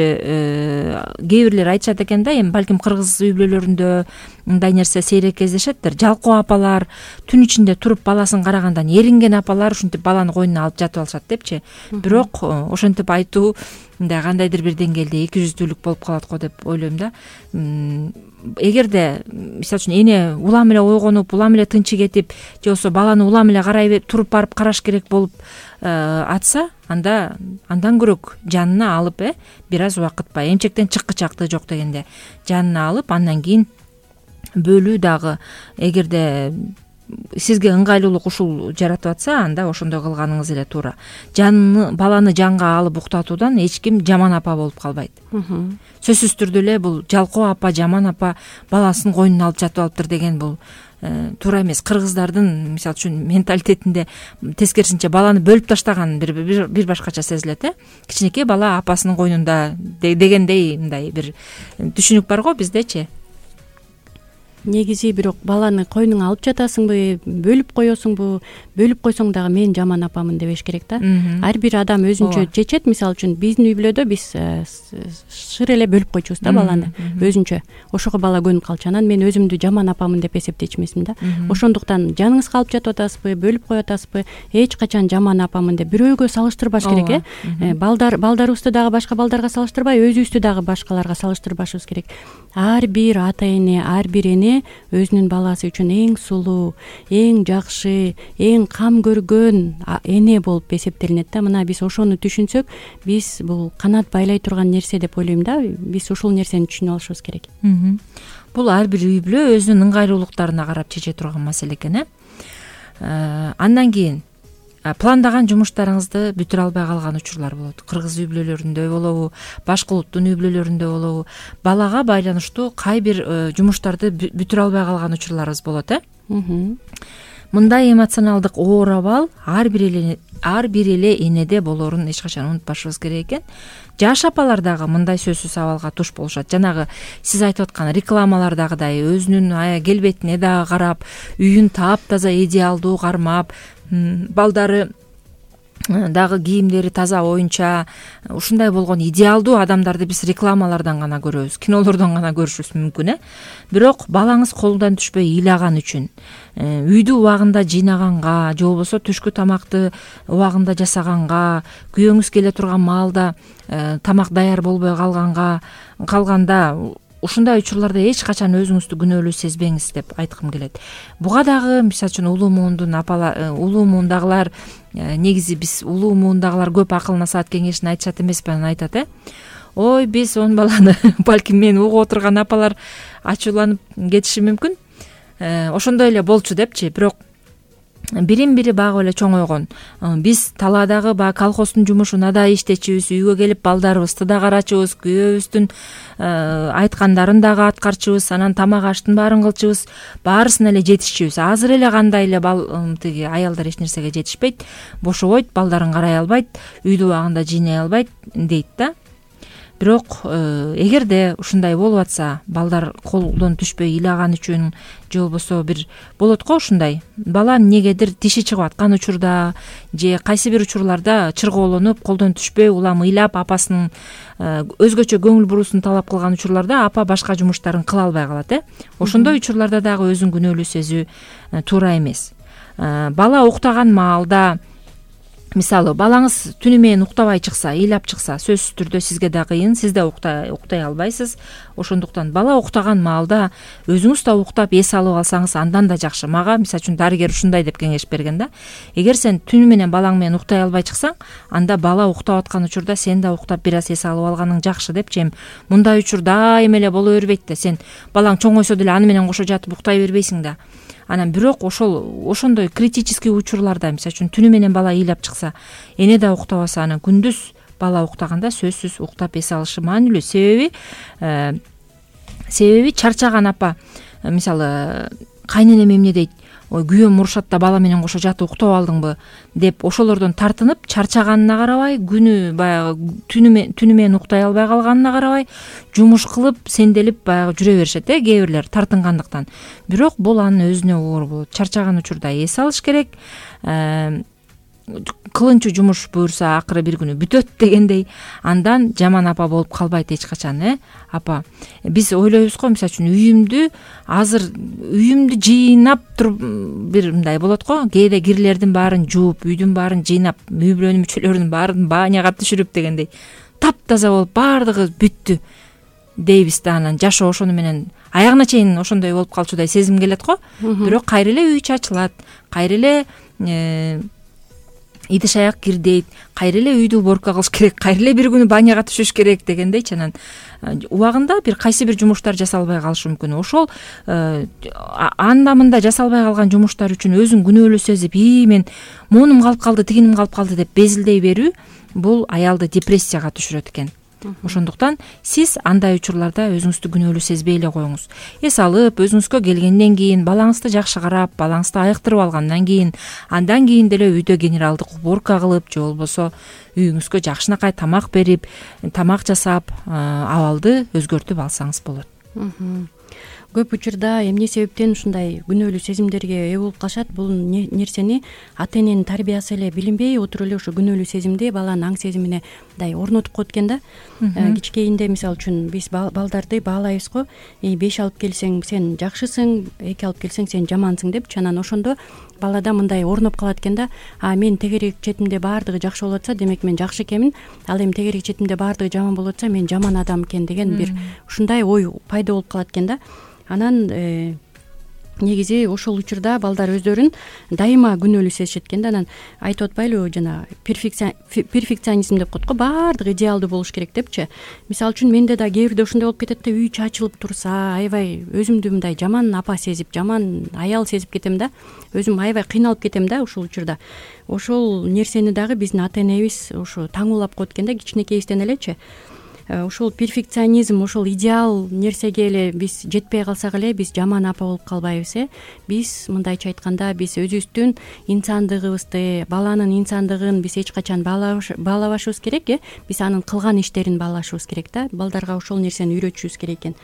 кээ бирлер айтышат экен да, эми балким кыргыз үй бүлөлөрүндө мындай нерсе сейрек кездешеттир. Жалкоо апалар түн ичинде туруп баласын карагандан эринген апалар ушинтип баланы койнуна алып жатып алышат депчи. Бирок ошентип айтуу мындай кандайдыр бир деңгээлде эки жүздүүлүк болуп калат го деп ойлойм да. Эгерде мисалы үчүн эне улам эле ойгонуп, улам эле тынчы кетип, же болбосо баланы улам эле карай туруп барып караш керек болуп атса, анда андан көрөк жанына алып э бир аз убакыт баягы эмчектен чыккычактыгы жок дегенде жанына алып, андан кийин бөлүү дагы эгерде сизге ыңгайлуулук ушул жаратып атса, анда ошондой кылганыңыз эле туура. Жанны, баланы жанга алып уктатуудан эч ким жаман апа болуп калбайт. Сөзсүз түрдө эле бул жалкоо апа, жаман апа баласын койнуна алып жатып алыптыр деген бул туура эмес. Кыргыздардын мисалы үчүн менталитетинде тескерисинче баланы бөлүп таштаган бир бир башкача сезилет э. Кичинекей бала апасынын койнунда дегендей мындай бир түшүнүк бар го биздечи. Негизи бирок баланы койнуңа алып жатасыңбы, бөлүп коесуңбу, бөлүп койсоң дагы мен жаман апамын дебеш керек да. Ар бир адам өзүнчө чечет. Мисалы үчүн биздин үй бүлөдө биз шыр эле бөлүп койчубуз да баланы өзүнчө. Ошого бала көнүп калчу. Анан мен өзүмдү жаман апамын деп эсептечү эмесмин да. Ошондуктан жаныңызга алып жатып атасызбы, бөлүп коюп атасызбы, эч качан жаман апамын деп бирөөгө салыштырбаш керек э. Балдар балдарыбызды дагы башка балдарга салыштырбай, өзүбүздү дагы башкаларга салыштырбашыбыз керек. Ар бир ата эне, ар бир эне эне өзүнүн баласы үчүн эң сулуу, эң жакшы, эң кам көргөн эне болуп эсептелинет да. Мына биз ошону түшүнсөк, биз бул канат байлай турган нерсе деп ойлойм да. Биз ушул нерсени түшүнүп алышыбыз керек. Бул ар бир үй бүлө өзүнүн ыңгайлуулуктарына карап чече турган маселе экен. э Андан кийин пландаган жумуштарыңызды бүтүрө албай калган учурлар болот. Кыргыз үй бүлөлөрүндө болобу, башка улуттун үй бүлөлөрүндө болобу, балага байланыштуу кай бир жумуштарды бүтүрө албай калган учурларыбыз болот. э Мындай эмоционалдык оор абал ар бир эле ар бир эле энеде болоорун эч качан унутпашыбыз керек экен. Жаш апалар дагы мындай сөзсүз абалга туш болушат. Жанагы сиз айтып аткан рекламалардагыдай өзүнүн келбетине дагы карап, үйүн таап-таза идеалдуу кармап, балдары дагы кийимдери таза оюнча, ушундай болгон идеалдуу адамдарды биз рекламалардан гана көрөбүз, кинолордон гана көрүшүбүз мүмкүн. э Бирок балаңыз колдон түшпөй ыйлаган үчүн, үйдү убагында жыйнаганга, же болбосо түшкү тамакты убагында жасаганга, күйөөңүз келе турган маалда тамак даяр болбой калганга калганда, ушундай учурларда эч качан өзүңүздү күнөөлүү сезбеңиз деп айткым келет. Буга дагы мисалы үчүн улуу муундун апалар, улуу муундагылар, негизи биз улуу муундагылар көп акыл насаат кеңешин айтышат эмеспи, анан айтат э ой биз он баланы балким мени угуп отурган апалар ачууланып кетиши мүмкүн, ошондой эле болчу депчи. Бирок бирин бири багып эле чоңойгон. Биз талаадагы баягы колхоздун жумушуна да иштечүбүз, үйгө келип балдарыбызды да карачубыз, күйөөбүздүн айткандарын дагы аткарчубыз, анан тамак аштын баарын кылчубыз, баарысына эле жетишчүбүз. Азыр эле кандай эле бал тиги аялдар эч нерсеге жетишпейт, бошобойт, балдарын карай албайт, үйдү убагында жыйнай албайт дейт да. Бирок эгерде ушундай болуп атса, балдар колдон түшпөй ыйлаган үчүн, же болбосо бир болот го ушундай, бала негедир тиши чыгып аткан учурда, же кайсы бир учурларда чыргоолонуп, колдон түшпөй улам ыйлап, апасынын өзгөчө көңүл буруусун талап кылган учурларда апа башка жумуштарын кыла албай калат. э Ошондой учурларда дагы өзүн күнөөлүү сезүү туура эмес. Бала уктаган маалда, мисалы балаңыз түнү менен уктабай чыкса, ыйлап чыкса, сөзсүз түрдө сизге да кыйын, сиз да уктай уктай албайсыз. Ошондуктан бала уктаган маалда өзүңүз да уктап эс алып алсаңыз андан да жакшы. Мага мисалы үчүн дарыгер ушундай деп кеңеш берген да. Эгер сен түнү менен балаң менен уктай албай чыксаң, анда бала уктап аткан учурда сен да уктап бир аз эс алып алганың жакшы депчи. Эми мындай учур дайыма эле боло бербейт да. Сен балаң чоңойсо деле аны менен кошо жатып уктай бербейсиң да. Анан бирок ошол ошондой критический учурларда, мисалы үчүн түнү менен бала ыйлап чыкса, эне да уктабаса, анан күндүз бала уктаганда сөзсүз уктап эс алышы маанилүү. Себеби себеби чарчаган апа, мисалы кайненем эмне дейт, ой күйөөм урушат да бала менен кошо жатып уктап алдыңбы деп ошолордон тартынып чарчаганына карабай, күнү баягы түнү түнү менен уктай албай калганына карабай, жумуш кылып сенделип баягы жүрө беришет э кээ бирлер тартынгандыктан. Бирок бул анын өзүнө оор болот. Чарчаган учурда эс алыш керек. Кылынчу жумуш буюрса акыры бир күнү бүтөт дегендей, андан жаман апа болуп калбайт эч качан. э Апа, биз ойлойбуз го, мисалы үчүн үйүмдү азыр үйүмдү жыйнап туруп бир мындай болот го, кээде кирлердин баарын жууп, үйдүн баарын жыйнап, үй бүлөнүн мүчөлөрүнүн баарын баняга түшүрүп дегендей таптаза болуп баардыгы бүттү дейбиз да. Анан жашоо ошону менен аягына чейин ошондой болуп калчудай сезим келет го. Бирок кайра эле үй чачылат, кайра эле идиш аяк кирдейт, кайра эле үйдү уборка кылыш керек, кайра эле бир күнү баняга түшүш керек дегендейчи. Анан убагында бир кайсы бир жумуштар жасалбай калышы мүмкүн. Ошол анда мында жасалбай калган жумуштар үчүн өзүн күнөөлүү сезип, ии мен монум калып калды, тигиним калып калды деп безилдей берүү, бул аялды депрессияга түшүрөт экен. Ошондуктан сиз андай учурларда өзүңүздү күнөөлүү сезбей эле коюңуз. Эс алып, өзүңүзгө келгенден кийин, балаңызды жакшы карап, балаңызды айыктырып алгандан кийин, андан кийин деле үйдө генералдык уборка кылып, же болбосо үйүңүзгө жакшынакай тамак берип, тамак жасап, абалды өзгөртүп алсаңыз болот. Көп учурда эмне себептен ушундай күнөөлүү сезимдерге ээ болуп калышат? Бул нерсени ата эненин тарбиясы эле билинбей отуруп эле ошо күнөөлүү сезимди баланын аң сезимине мындай орнотуп коет экен да. Кичкейинде мисалы үчүн биз балдарды баалайбыз го, беш алып келсең сен жакшысың, эки алып келсең сен жамансың депчи. Анан ошондо балада мындай орноп калат экен да. А мен тегерек четимде баардыгы жакшы болуп атса, демек мен жакшы экенмин. Ал эми тегерек четимде баардыгы жаман болуп атса, мен жаман адам экен деген бир ушундай ой пайда болуп калат экен да. Анан негизи ошол учурда балдар өздөрүн дайыма күнөөлүү сезишет экен да. Анан айтып атпайлыбы жана перфекционизм деп коет го, баардыгы идеалдуу болуш керек депчи. Мисалы үчүн менде да кээ бирде ошондой болуп кетет да, үй чачылып турса аябай өзүмдү мындай жаман апа сезип, жаман аял сезип кетем да, өзүм аябай кыйналып кетем да ушул учурда. Ошол нерсени дагы биздин ата энебиз ошо таңуулап коет экен да кичинекейибизден элечи. Ошол перфекционизм, ошол идеал нерсеге эле биз жетпей калсак эле биз жаман апа болуп калбайбыз э. Биз мындайча айтканда биз өзүбүздүн инсандыгыбызды, баланын инсандыгын биз эч качан баалабашыбыз керек э. Биз анын кылган иштерин баалашыбыз керек да. Балдарга ошол нерсени үйрөтүшүбүз керек экен.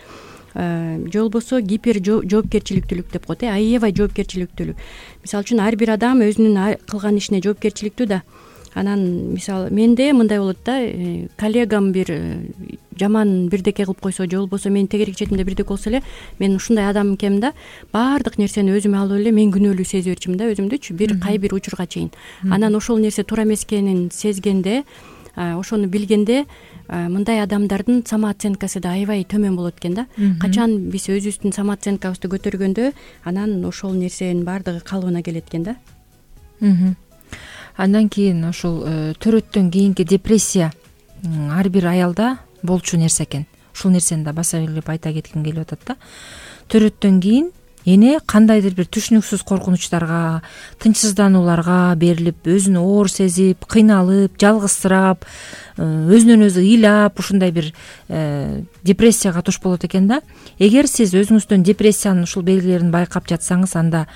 Же болбосо гипер жоопкерчиликтүүлүк деп коет э, аябай жоопкерчиликтүүлүк. Мисалы үчүн ар бир адам өзүнүн кылган ишине жоопкерчиликтүү да. Анан мисалы менде мындай болот да, коллегам бир жаман бирдеке кылып койсо же болбосо менин тегерек четимде бирдеке болсо эле мен ушундай адам экенмин да, баардык нерсени өзүмө алып эле мен күнөөлүү сезе берчүмүн да өзүмдүчү, бир кай бир учурга чейин. Анан ошол нерсе туура эмес экенин сезгенде, ошону билгенде мындай адамдардын самооценкасы да аябай төмөн болот экен да. Качан биз өзүбүздүн самооценкабызды көтөргөндө анан ошол нерсенин баардыгы калыбына келет экен да. Андан кийин ошол төрөттөн кийинки депрессия ар бир аялда болчу нерсе экен. Ушул нерсени да баса белгилеп айта кетким келип атат да. Төрөттөн кийин эне кандайдыр бир түшүнүксүз коркунучтарга, тынчсызданууларга берилип, өзүн оор сезип, кыйналып, жалгызсырап, өзүнөн өзү ыйлап, ушундай бир депрессияга туш болот экен да. Эгер сиз өзүңүздөн депрессиянын ушул белгилерин байкап жатсаңыз, анда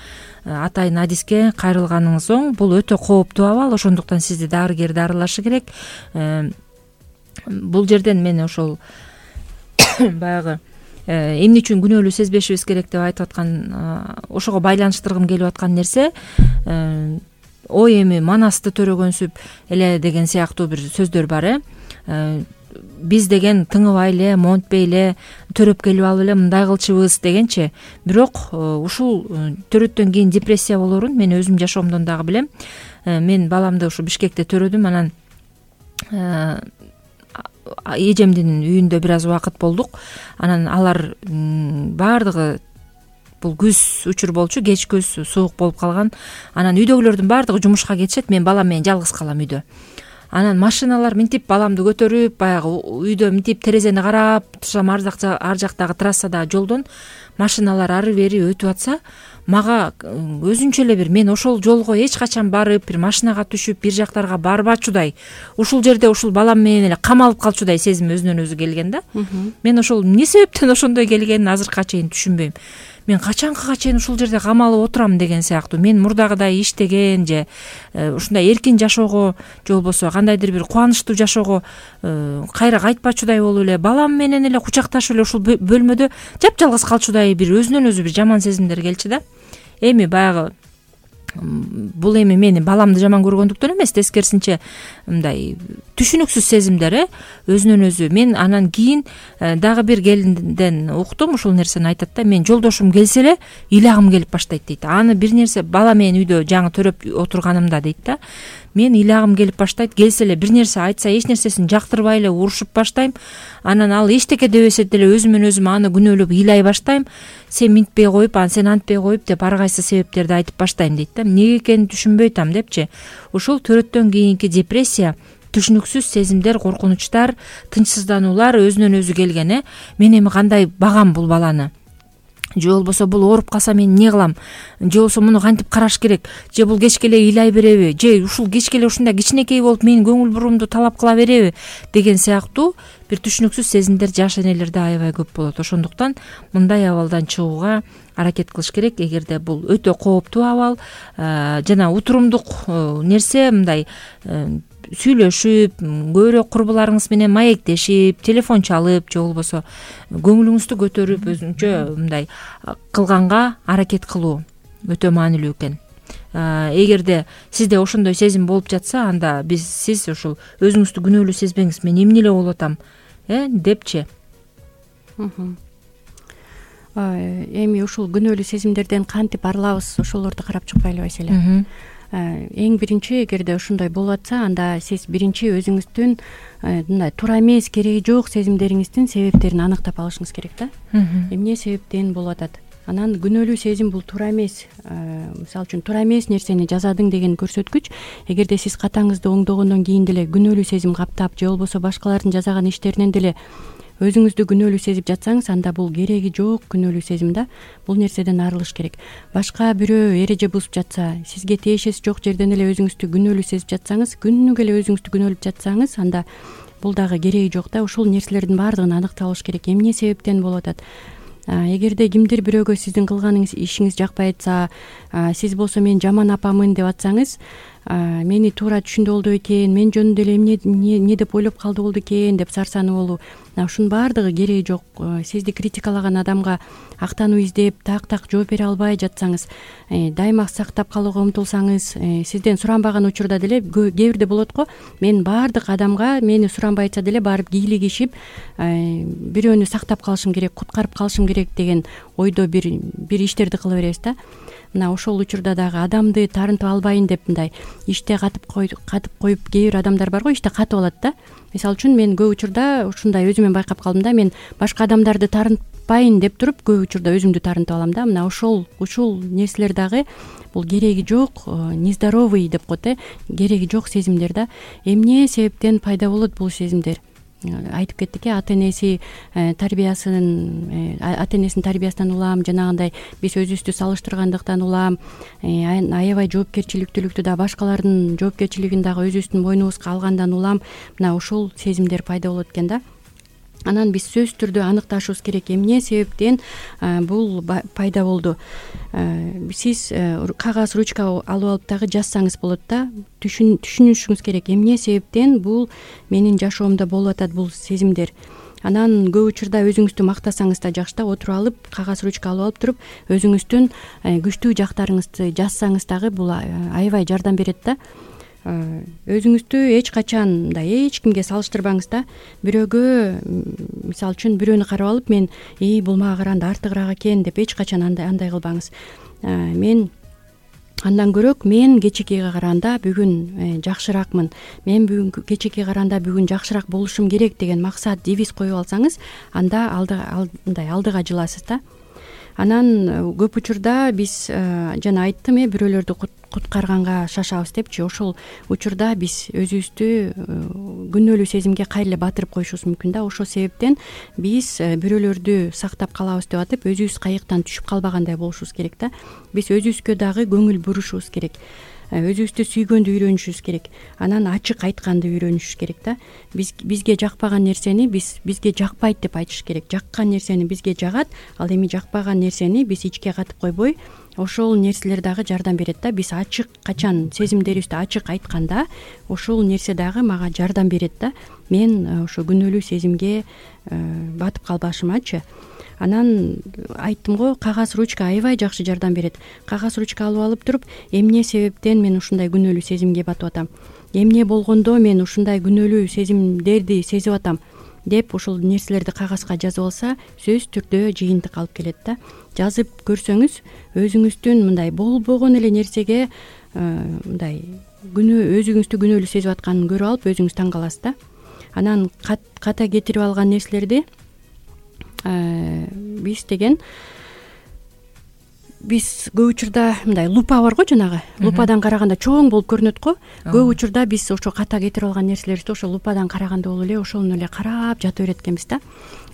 атайын адиске кайрылганыңыз оң. Бул өтө кооптуу абал, ошондуктан сизди дарыгер дарылашы керек. Бул жерден мен ошол баягы эмне үчүн күнөөлүү сезбешибиз керек деп айтып аткан, ошого байланыштыргым келип аткан нерсе, ой эми манасты төрөгөнсүп эле деген сыяктуу бир сөздөр бар э. Биз деген тыңыбай эле, монтпей эле, төрөп келип алып эле мындай кылчубуз дегенчи. Бирок ушул төрөттөн кийин депрессия болорун мен өзүм жашоомдон дагы билем. Мен баламды ушу Бишкекте төрөдүм, анан эжемдин үйүндө бир аз убакыт болдук. Анан алар баардыгы, бул күз учур болчу, кеч күз, суук болуп калган. Анан үйдөгүлөрдүн баардыгы жумушка кетишет, мен балам менен жалгыз калам үйдө. Анан машиналар минтип баламды көтөрүп, баягы үйдө минтип терезени карап турсам, ар жактагы трассадагы жолдон машиналар ары бери өтүп атса, мага өзүнчө эле бир, мен ошол жолго эч качан барып, бир машинага түшүп, бир жактарга барбачудай, ушул жерде ушул балам менен эле камалып калчудай сезим өзүнөн өзү келген да. Мен ошол эмне себептен ошондой келгенин азыркыга чейин түшүнбөйм. Мен качанкыга чейин ушул жерде камалып отурам деген сыяктуу. Мен мурдагыдай иштеген же ушундай эркин жашоого, же болбосо кандайдыр бир кубанычтуу жашоого кайра кайтпачудай болуп эле, балам менен эле кучакташып эле ушул бөлмөдө жапжалгыз калчудай бир өзүнөн өзү бир жаман сезимдер келчү да. Эми баягы бул эми мени баламды жаман көргөндүктөн эмес, тескерисинче мындай түшүнүксүз сезимдер э, өзүнөн өзү. Мен анан кийин дагы бир келинден уктум, ушул нерсени айтат да, мен жолдошум келсе эле ыйлагым келип баштайт дейт. Аны бир нерсе бала менен үйдө жаңы төрөп отурганымда дейт да, мен ыйлагым келип баштайт, келсе эле бир нерсе айтса эч нерсесин жактырбай эле урушуп баштайм. Анан ал эчтеке дебесе деле өзүмөн өзүм аны күнөөлөп ыйлай баштайм. Сен минтпей коюп, анан сен антпей коюп деп ар кайсы себептерди айтып баштайм дейт да. Эмнеге экенин түшүнбөй атам депчи. Ушул төрөттөн кийинки депрессия, түшүнүксүз сезимдер, коркунучтар, тынчсыздануулар өзүнөн өзү келген э. Мен эми кандай багам бул баланы? Же болбосо бул ооруп калса мен эмне кылам? Же болбосо муну кантип караш керек? Же бул кечке эле ыйлай береби? Же ушул кечке эле ушундай кичинекей болуп менин көңүл буруумду талап кыла береби? Деген сыяктуу бир түшүнүксүз сезимдер жаш энелерде аябай көп болот. Ошондуктан мындай абалдан чыгууга аракет кылыш керек. Эгерде бул өтө кооптуу абал жана утурумдук нерсе, мындай сүйлөшүп, көбүрөөк курбуларыңыз менен маектешип, телефон чалып, же болбосо көңүлүңүздү көтөрүп өзүнчө мындай кылганга аракет кылуу өтө маанилүү экен. Эгерде сизде ошондой сезим болуп жатса, анда биз сиз ушул өзүңүздү күнөөлүү сезбеңиз, мен эмне эле болуп атам э депчи. Эми ушул күнөөлүү сезимдерден кантип арылабыз, ошолорду карап чыкпайлы Василя? Эң биринчи, эгерде ошондой болуп атса, анда сиз биринчи өзүңүздүн мындай туура эмес, кереги жок сезимдериңиздин себептерин аныктап алышыңыз керек да. Эмне себептен болуп атат? анан күнөөлүү сезим бул туура эмес, мисалы үчүн туура эмес нерсени жасадың деген көрсөткүч. Эгерде сиз катаңызды оңдогондон кийин деле күнөөлүү сезим каптап же болбосо башкалардын жасаган иштеринен деле өзүңүздү күнөөлүү сезип жатсаңыз, анда бул кереги жок күнөөлүү сезим да. Бул нерседен арылыш керек. Башка бирөө эреже бузуп жатса, сизге тиешеси жок жерден эле өзүңүздү күнөөлүү сезип жатсаңыз, күнүгө эле өзүңүздү күнөөлөп жатсаңыз, анда бул дагы кереги жок да. Ушул нерселердин баардыгын аныкталыш керек. Эмне себептен болуп атат? Эгерде кимдир бирөөгө сиздин кылганыңыз ишиңиз жакпай атса, сиз болсо мен жаман апамын деп атсаңыз, мени туура түшүндү болду экен, мен жөнүндө эле эмне эмне деп ойлоп калды болду экен деп сарсанып болуу, ушунун баардыгы кереги жок. Сизди критикалаган адамга актануу издеп, так-так жооп бере албай жатсаңыз, дайыма сактап калууга умтулсаңыз, сизден суранбаган учурда деле кээ бирде болот го, мен баардык адамга мени суранбайча деле барып кийлигишип, бирөөнү сактап калышым керек, куткарып калышым керек деген ойдо бир бир иштерди кыла беребиз да. Мына ошол учурда дагы адамды тарынтып албайын деп мындай иште катып катып коюп, кээ бир адамдар бар го, иште катып алат да. Мисалы үчүн мен көп учурда ушундай өзүмөн байкап калдым да. Мен башка адамдарды тарынтпайын деп туруп, көп учурда өзүмдү тарынтып алам да. Мына ошол ушул нерселер дагы бул кереги жок, нездоровый деп коет э, кереги жок сезимдер да. Эмне себептен пайда болот бул сезимдер? Айтып кеттик э, ата энеси тарбиясын, ата энесинин тарбиясынан улам, жанагындай биз өзүбүздү салыштыргандыктан улам, аябай жоопкерчиликтүүлүктү да, башкалардын жоопкерчилигин дагы өзүбүздүн мойнубузга алгандан улам мына ушул сезимдер пайда болот экен да. Анан биз сөзсүз түрдө аныкташыбыз керек, эмне себептен бул пайда болду. Сиз кагаз, ручка алып алып дагы жазсаңыз болот да. Түшүнүшүңүз керек, эмне себептен бул менин жашоомдо болуп атат бул сезимдер. Анан көп учурда өзүңүздү мактасаңыз да жакшы да, отуруп алып, кагаз, ручка алып алып туруп, өзүңүздүн күчтүү жактарыңызды жазсаңыз дагы бул аябай жардам берет да. Өзүңүздү эч качан мындай эч кимге салыштырбаңыз да. Бирөөгө, мисалы үчүн бирөөнү карап алып, мен и бул мага караганда артыгыраак экен деп эч качан андай андай кылбаңыз. Мен андан көрөк мен кечекеге караганда бүгүн жакшыраакмын, мен бүгүн кечекеге караганда бүгүн жакшыраак болушум керек деген максат, девиз коюп алсаңыз, анда мындай алдыга жыласыз да. Анан көп учурда биз жана айттым э, бирөөлөрдү куткарганга шашабыз депчи. Ошол учурда биз өзүбүздү күнөөлүү сезимге кайра эле батырып коюшубуз мүмкүн да. Ошол себептен биз бирөөлөрдү сактап калабыз деп атып, өзүбүз кайыктан түшүп калбагандай болушубуз керек да. Биз өзүбүзгө дагы көңүл бурушубуз керек. Өзүбүздү сүйгөндү үйрөнүшүбүз керек. Анан ачык айтканды үйрөнүшүбүз керек да. Биз бизге жакпаган нерсени биз бизге жакпайт деп айтыш керек. Жаккан нерсени бизге жагат, ал эми жакпаган нерсени биз ичке катып койбой, ошол нерселер дагы жардам берет да. Биз ачык, качан сезимдерибизди ачык айтканда, ошол нерсе дагы мага жардам берет да. Мен ошо күнөөлүү сезимге батып калбашымачы. Анан айттым го, кагаз, ручка аябай жакшы жардам берет. Кагаз, ручка алып алып туруп, эмне себептен мен ушундай күнөөлүү сезимге батып атам, эмне болгондо мен ушундай күнөөлүү сезимдерди сезип атам деп ушул нерселерди кагазга жазып алса, сөзсүз түрдө жыйынтык алып келет да. Жазып көрсөңүз, өзүңүздүн мындай болбогон эле нерсеге мындай күнөө өзүңүздү күнөөлүү сезип атканын көрүп алып, өзүңүз таң каласыз да. Анан ката кетирип алган нерселерди биз деген биз көп учурда мындай лупа бар го, жанагы лупадан караганда чоң болуп көрүнөт го. Көп учурда биз ошо ката кетирип алган нерселерибизди ошо лупадан караганда болуп эле ошону эле карап жата берет экенбиз да.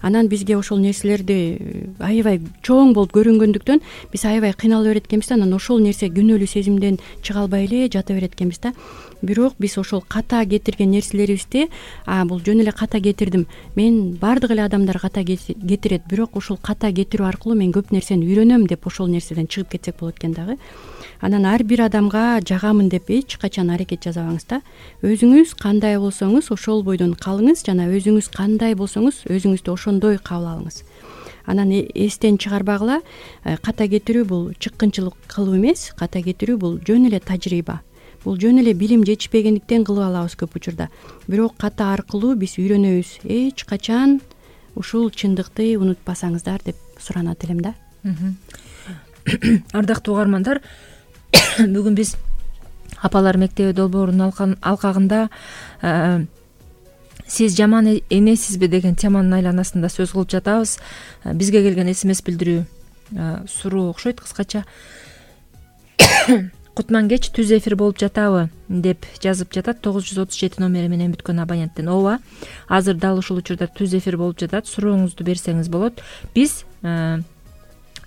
Анан бизге ошол нерселерди аябай чоң болуп көрүнгөндүктөн биз аябай кыйнала берет экенбиз да. Анан ошол нерсе күнөөлүү сезимден чыга албай эле жата берет экенбиз да. Бирок биз ошол ката кетирген нерселерибизди, а бул жөн эле ката кетирдим, мен баардык эле адамдар ката кетирет, бирок ушул ката кетирүү аркылуу мен көп нерсени үйрөнөм деп ошол нерседен чыгып кетсек болот экен дагы. Анан ар бир адамга жагамын деп эч качан аракет жасабаңыз да. Өзүңүз кандай болсоңуз ошол бойдон калыңыз, жана өзүңүз кандай болсоңуз өзүңүздү ошондой кабыл алыңыз. Анан эстен чыгарбагыла, ката кетирүү бул чыккынчылык кылуу эмес, ката кетирүү бул жөн эле тажрыйба. Бул жөн эле билим жетишпегендиктен кылып алабыз көп учурда. Бирок ката аркылуу биз үйрөнөбүз. Эч качан ушул чындыкты унутпасаңыздар деп суранат элем да. Ардактуу угармандар, бүгүн биз апалар мектеби долбоорунун алкагында сиз жаман энесизби деген теманын айланасында сөз кылып жатабыз. Бизге келген смс билдирүү суроо окшойт. Кыскача Кутман кеч түз эфир болуп жатабы деп жазып жатат. тогуз жүз отуз жети номери менен бүткөн абоненттен. Ооба, азыр дал ушул учурда түз эфир болуп жатат. Сурооңузду берсеңиз болот. Биз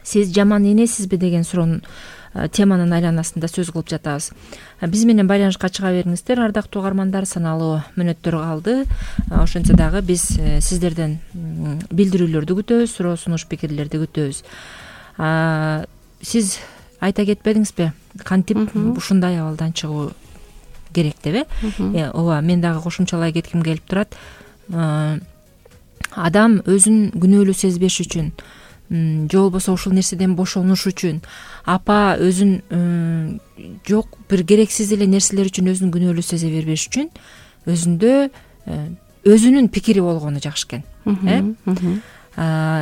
сиз жаман энесизби деген суроонун теманын айланасында сөз кылып жатабыз. Биз менен байланышка чыга бериңиздер, ардактуу угармандар. Саналуу мүнөттөр калды. Ошентсе дагы биз сиздерден билдирүүлөрдү күтөбүз, суроо сунуш пикирлерди күтөбүз. Сиз айта кетпедиңизби, кантип ушундай абалдан чыгуу керек деп, э? Ооба, мен дагы кошумчалай кетким келип турат. Адам өзүн күнөөлүү сезбеш үчүн, же болбосо ушул нерседен бошонуш үчүн, апа өзүн жок бир керексиз эле нерселер үчүн өзүн күнөөлүү сезе бербеш үчүн өзүндө өзүнүн пикири болгону жакшы экен. э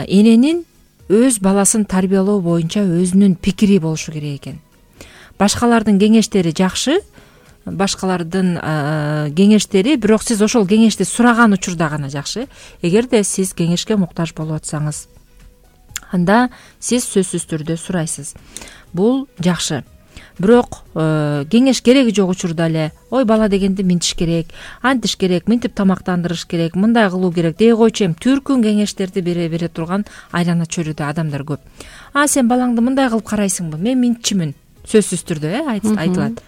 Эненин өз баласын тарбиялоо боюнча өзүнүн пикири болушу керек экен. Башкалардын кеңештери жакшы, башкалардын кеңештери, бирок сиз ошол кеңешти сураган учурда гана жакшы. Эгерде сиз кеңешке муктаж болуп атсаңыз, анда сиз сөзсүз түрдө сурайсыз. Бул жакшы. Бирок кеңеш кереги жок учурда эле, ой бала дегенди минтиш керек, антиш керек, минтип тамактандырыш керек, мындай кылуу керек дей койчу эми түркүн кеңештерди бере бере турган айлана чөйрөдө адамдар көп. А сен балаңды мындай кылып карайсыңбы? Мен минтчимин. Сөзсүз түрдө э айтылат.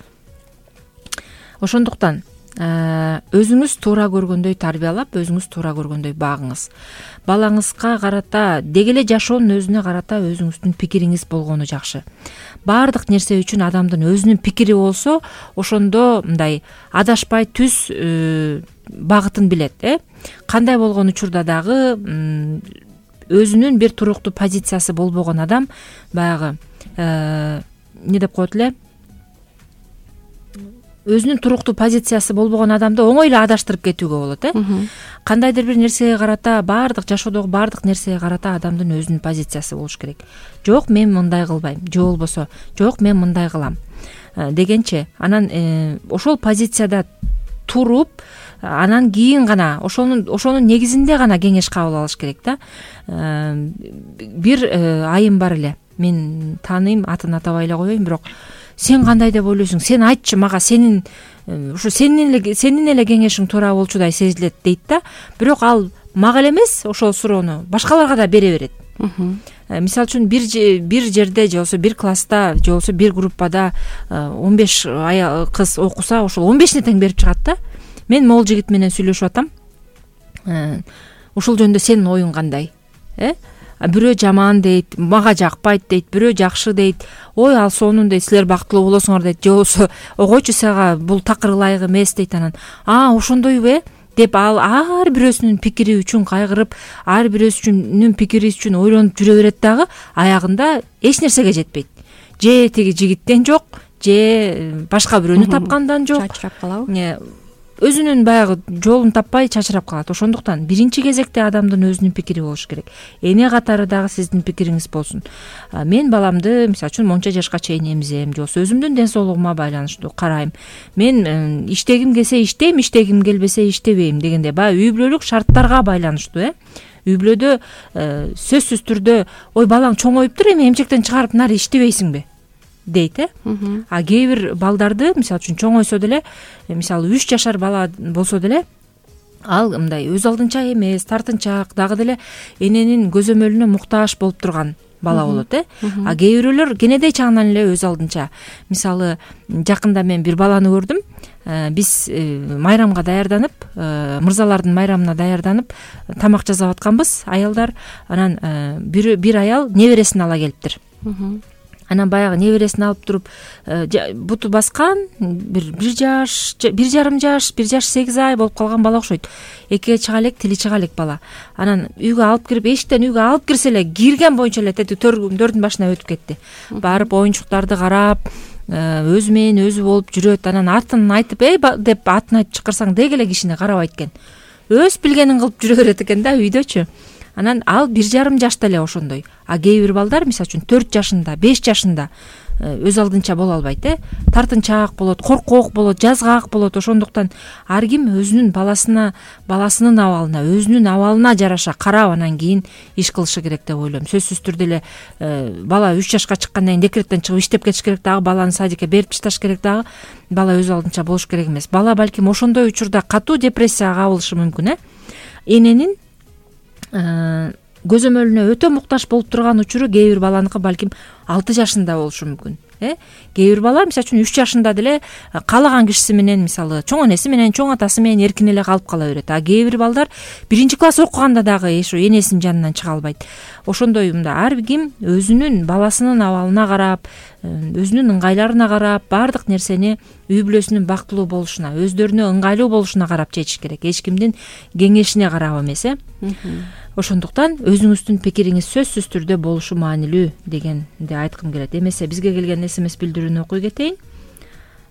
Ошондуктан өзүңүз туура көргөндөй тарбиялап, өзүңүз туура көргөндөй багыңыз. Балаңызга карата, деги эле жашоонун өзүнө карата өзүңүздүн пикириңиз болгону жакшы. Баардык нерсе үчүн адамдын өзүнүн пикири болсо, ошондо мындай адашпай түз багытын билет, э? Кандай болгон учурда дагы өзүнүн бир туруктуу позициясы болбогон адам баягы эмне деп коет эле? Өзүнүн туруктуу позициясы болбогон адамды оңой эле адаштырып кетүүгө болот, э? Кандайдыр бир нерсеге карата, баардык жашоодогу баардык нерсеге карата адамдын өзүнүн позициясы болуш керек. Жок, мен мындай кылбайм, же болбосо жок, мен мындай кылам дегенче, анан ошол позицияда туруп, анан кийин гана ошонун ошонун негизинде гана кеңеш кабыл алыш керек да. Бир айым бар эле. Мен тааныйм, атын атабай эле коеюн, бирок сен кандай деп ойлойсуң? Сен айтчы мага, сенин ушу сенин эле сенин эле кеңешиң туура болчудай сезилет дейт да. Бирок ал мага эле эмес, ошол суроону башкаларга да бере берет. Мисалы үчүн бир бир жерде, же болбосо бир класста, же болбосо бир группада он беш кыз окуса, ошол он бешине тең берип чыгат да. Мен могул жигит менен сүйлөшүп атам. Ушул жөнүндө сенин оюң кандай? Э? Бирөө жаман дейт, мага жакпайт дейт, бирөө жакшы дейт. Ой, ал сонун дейт, силер бактылуу болосуңар дейт. Же болбосо, огойчу сага бул такыр ылайык эмес дейт анан. А, ошондойбу э? Деп ал ар бирөөсүнүн пикири үчүн кайгырып, ар бирөөсүнүн пикири үчүн ойлонуп жүрө берет дагы, аягында эч нерсеге жетпейт. Же тиги жигиттен жок, же башка бирөөнү тапкандан жок. Чачырап калабы? Өзүнүн баягы жолун таппай чачырап калат. Ошондуктан биринчи кезекте адамдын өзүнүн пикири болуш керек. Эне катары дагы сиздин пикириңиз болсун. Мен баламды, мисалы үчүн, монча жашка чейин эмзем, же болбосо өзүмдүн ден соолугума байланыштуу карайм. Мен иштегим келсе иштейм, иштегим келбесе иштебейм дегенде баягы үй бүлөлүк шарттарга байланыштуу, э? Үй бүлөдө сөзсүз түрдө, ой балаң чоңоюптур, эми эмчектен чыгарып нары иштебейсиңби дейт, э? А кээ бир балдарды, мисалы үчүн, чоңойсо деле, мисалы үч жашар бала болсо деле, ал мындай өз алдынча эмес, тартынчаак, дагы деле эненин көзөмөлүнө муктаж болуп турган бала болот, э? А кээ бирөөлөр кенедей чагынан эле өз алдынча. Мисалы, жакында мен бир баланы көрдүм. Биз майрамга даярданып, мырзалардын майрамына даярданып, тамак жасап атканбыз, аялдар. Анан бир бир аял небересин ала келиптир. Анан баягы небересин алып туруп, буту баскан, бир бир жаш, бир жарым жаш, бир жаш сегиз ай болуп калган бала окшойт. Экиге чыга элек, тили чыга элек бала. Анан үйгө алып кирип, эшиктен үйгө алып кирсе эле, кирген боюнча эле тети төрдүн башына өтүп кетти. Барып оюнчуктарды карап, өзү менен өзү болуп жүрөт. Анан атын айтып, эй деп атын айтып чакырсаң, деги эле кишини карабайт экен. Өз билгенин кылып жүрө берет экен да үйдөчү. анан ал бир жарым жашта эле ошондой. А кээ бир балдар мисалы үчүн төрт жашында, беш жашында өз алдынча боло албайт, э тартынчаак болот, коркок болот, жазгаак болот. Ошондуктан ар ким өзүнүн баласына, баласынын абалына, өзүнүн абалына жараша карап анан кийин иш кылышы керек деп ойлойм. Сөзсүз түрдө эле бала үч жашка чыккандан кийин декреттен чыгып иштеп кетиш керек дагы, баланы садикке берип ташташ керек дагы. Бала өз алдынча болуш керек эмес. Бала балким ошондой учурда катуу депрессияга кабылышы мүмкүн, э эненин көзөмөлүнө өтө муктаж болуп турган учуру кээ бир баланыкы балким алты жашында болушу мүмкүн. э кээ бир бала мисалы үчүн үч жашында деле каалаган кишиси менен, мисалы чоң энеси менен, чоң атасы менен эркин эле калып кала берет. А кээ бир балдар биринчи класс окуганда дагы ошо энесинин жанынан чыга албайт. Ошондой мында ар ким өзүнүн баласынын абалына карап, өзүнүн ыңгайларына карап, баардык нерсени үй бүлөсүнүн бактылуу болушуна, өздөрүнө ыңгайлуу болушуна карап чечиш керек. Эч кимдин кеңешине карап эмес, э ошондуктан өзүңүздүн пикириңиз сөзсүз түрдө болушу маанилүү дегенди айткым келет. Эмесе бизге келген смс билдирүүнү окуй кетейин.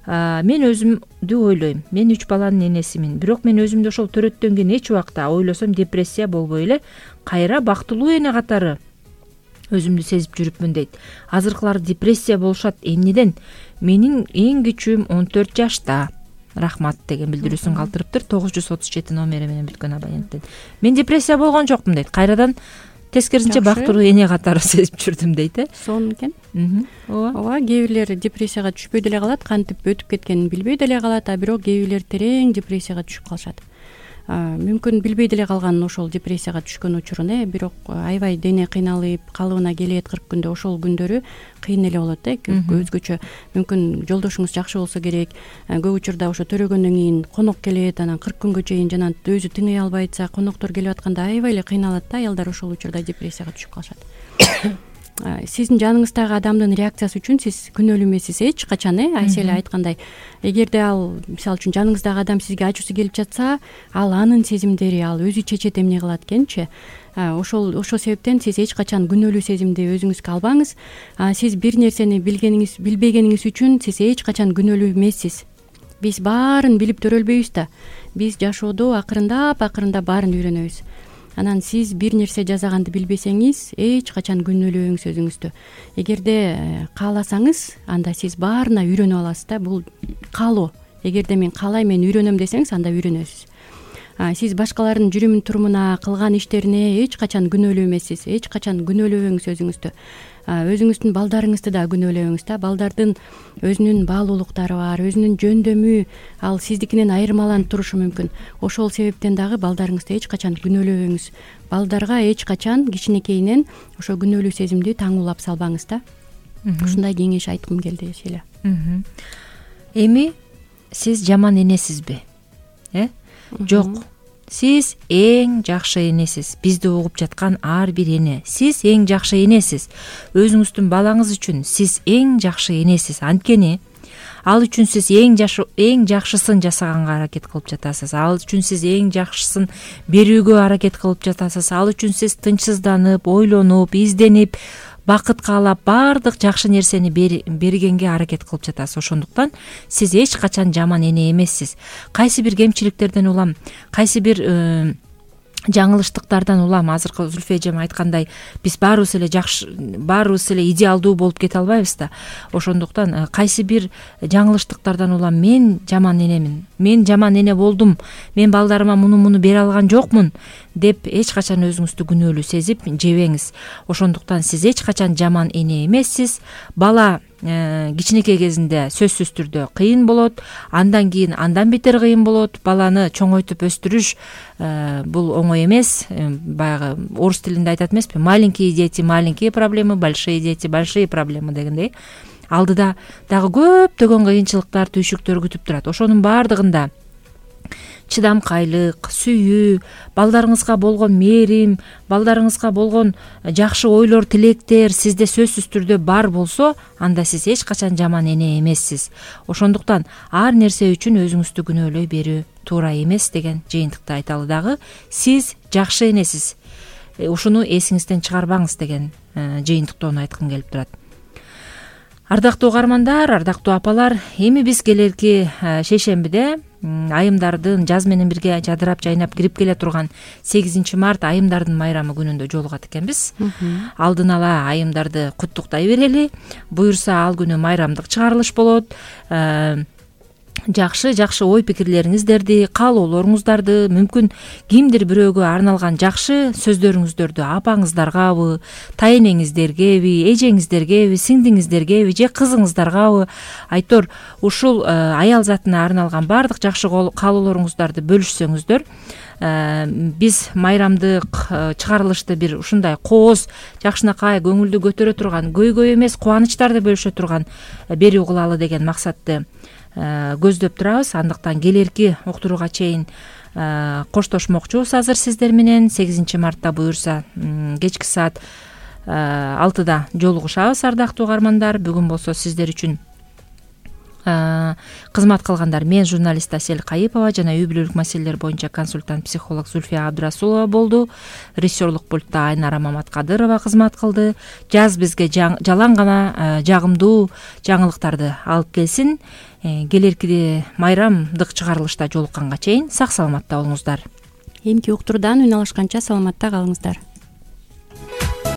Мен өзүмдү ойлойм. Мен үч баланын энесимин. Бирок мен өзүмдү ошол төрөттөн кийин эч убакта ойлосом депрессия болбой эле кайра бактылуу эне катары өзүмдү сезип жүрүпмүн дейт. Азыркылар депрессия болушат. Эмнеден? Менин эң кичүүм он төрт жашта. Рахмат деген билдирүүсүн калтырыптыр. тогуз жүз отуз жети номери менен бүткөн абоненттен. Мен депрессия болгон жокмун дейт. Кайрадан тескерисинче бактылуу эне катары сезип жүрдүм дейт, э сонун экен. ооба ооба кээ бирлер депрессияга түшпөй деле калат, кантип өтүп кеткенин билбей деле калат, а бирок кээ бирлер терең депрессияга түшүп калышат. Мүмкүн билбей деле калган ошол депрессияга түшкөн учурун, э бирок аябай дене кыйналып калыбына келет кырк күндө, ошол күндөрү кыйын эле болот, э өзгөчө. Мүмкүн жолдошуңуз жакшы болсо керек, көп учурда ошо төрөгөндөн кийин конок келет, анан кырк күнгө чейин жана өзү тыный албай атса, коноктор келип атканда аябай эле кыйналат да аялдар, ошол учурда депрессияга түшүп калышат. Сиздин жаныңыздагы адамдын реакциясы үчүн сиз күнөөлүү эмессиз эч качан, э Айселе айткандай. Эгерде ал мисалы үчүн жаныңыздагы адам сизге ачуусу келип жатса, ал анын сезимдери, ал өзү чечет эмне кылат экенчи. Ошол ошол себептен сиз эч качан күнөөлүү сезимди өзүңүзгө албаңыз. Сиз бир нерсени билгениңиз, билбегениңиз үчүн сиз эч качан күнөөлүү эмессиз. Биз баарын билип төрөлбөйбүз да. Биз жашоодо акырындап акырындап баарын үйрөнөбүз. Анан сиз бир нерсе жасаганды билбесеңиз, эч качан күнөөлөбөңүз өзүңүздү. Эгерде кааласаңыз, анда сиз баарына үйрөнүп аласыз да. Бул каалоо. Эгерде мен каалайм, мен үйрөнөм десеңиз, анда үйрөнөсүз. Сиз башкалардын жүрүм турумуна, кылган иштерине эч качан күнөөлүү эмессиз. Эч качан күнөөлөбөңүз өзүңүздү. Өзүңүздүн балдарыңызды да күнөөлөбөңүз да. Балдардын өзүнүн баалуулуктары бар, өзүнүн жөндөмү, ал сиздикинен айырмаланып турушу мүмкүн. Ошол себептен дагы балдарыңызды эч качан күнөөлөбөңүз. Балдарга эч качан кичинекейинен ошо күнөөлүү сезимди таңуулап салбаңыз да. Ушундай кеңеш айткым келди Селе. Эми сиз жаман энесизби? Э? Жок. Сиз эң жакшы энесиз. Бизди угуп жаткан ар бир эне. Сиз эң жакшы энесиз. Өзүңүздүн балаңыз үчүн сиз эң жакшы энесиз. Анткени ал үчүн сиз эң жакшы эң жакшысын жасаганга аракет кылып жатасыз. Ал үчүн сиз эң жакшысын берүүгө аракет кылып жатасыз. Ал үчүн сиз тынчсызданып, ойлонуп, изденип, бакыт каалап, баардык жакшы нерсени бергенге аракет кылып жатасыз. Ошондуктан сиз эч качан жаман эне эмессиз. Кайсы бир кемчиликтерден улам, кайсы бир жаңылыштыктардан улам, азыркы Зүлфү эжем айткандай, биз баарыбыз эле жакшы, баарыбыз эле идеалдуу болуп кете албайбыз да. Ошондуктан кайсы бир жаңылыштыктардан улам мен жаман энемин, мен жаман эне болдум, мен балдарыма муну муну бере алган жокмун деп эч качан өзүңүздү күнөөлүү сезип жебеңиз. Ошондуктан сиз эч качан жаман эне эмессиз. Бала кичинекей кезинде сөзсүз түрдө кыйын болот, андан кийин андан бетер кыйын болот. Баланы чоңойтуп өстүрүш бул оңой эмес. Баягы орус тилинде айтат эмеспи? Маленькие дети, маленькие проблемы, большие дети, большие проблемы дегендей. Алдыда дагы көптөгөн кыйынчылыктар, түйшүктөр күтүп турат. Ошонун баардыгында чыдамкайлык, сүйүү, балдарыңызга болгон мээрим, балдарыңызга болгон жакшы ойлор, тилектер сизде сөзсүз түрдө бар болсо, анда сиз эч качан жаман эне эмессиз. Ошондуктан ар нерсе үчүн өзүңүздү күнөөлөй берүү туура эмес деген жыйынтыкты айталы дагы. Сиз жакшы энесиз. Ушуну эсиңизден чыгарбаңыз деген жыйынтыктоону айткым келип турат. Ардактуу угармандар, ардактуу апалар, эми биз келерки шейшембиде айымдардын жаз менен бирге жадырап жайнап кирип келе турган сегизинчи март айымдардын майрамы күнүндө жолугат экенбиз. Алдын ала айымдарды куттуктай берели. Буюрса ал күнү майрамдык чыгарылыш болот. Жакшы жакшы ой пикирлериңиздерди, каалоолоруңуздарды, мүмкүн кимдир бирөөгө арналган жакшы сөздөрүңүздөрдү апаңыздаргабы, тайэнеңиздергеби, эжеңиздергеби, сиңдиңиздергеби же кызыңыздаргабы айтор ушул аял затына арналган баардык жакшы каалоолоруңуздарды бөлүшсөңүздөр, биз майрамдык чыгарылышты бир ушундай кооз, жакшынакай көңүлдү көтөрө турган, көйгөй эмес кубанычтарды бөлүшө турган берүү кылалы деген максатты көздөп турабыз. Андыктан келерки уктурууга чейин коштошмокчубуз азыр сиздер менен. сегизинчи мартта буюрса кечки саат алтыда жолугушабыз, ардактуу угармандар. Бүгүн болсо сиздер үчүн кызмат кылгандар мен журналист Асель Кайыпова жана үй бүлөлүк маселелер боюнча консультант психолог Зульфия Абдырасулова болду. Режиссерлук пультта Айнара Маматкадырова кызмат кылды. Жаз бизге жалаң гана жагымдуу жаңылыктарды алып келсин. Келерки майрамдык чыгарылышта жолукканга чейин сак саламатта болуңуздар. Эмки уктуруудан үн алышканча саламатта калыңыздар.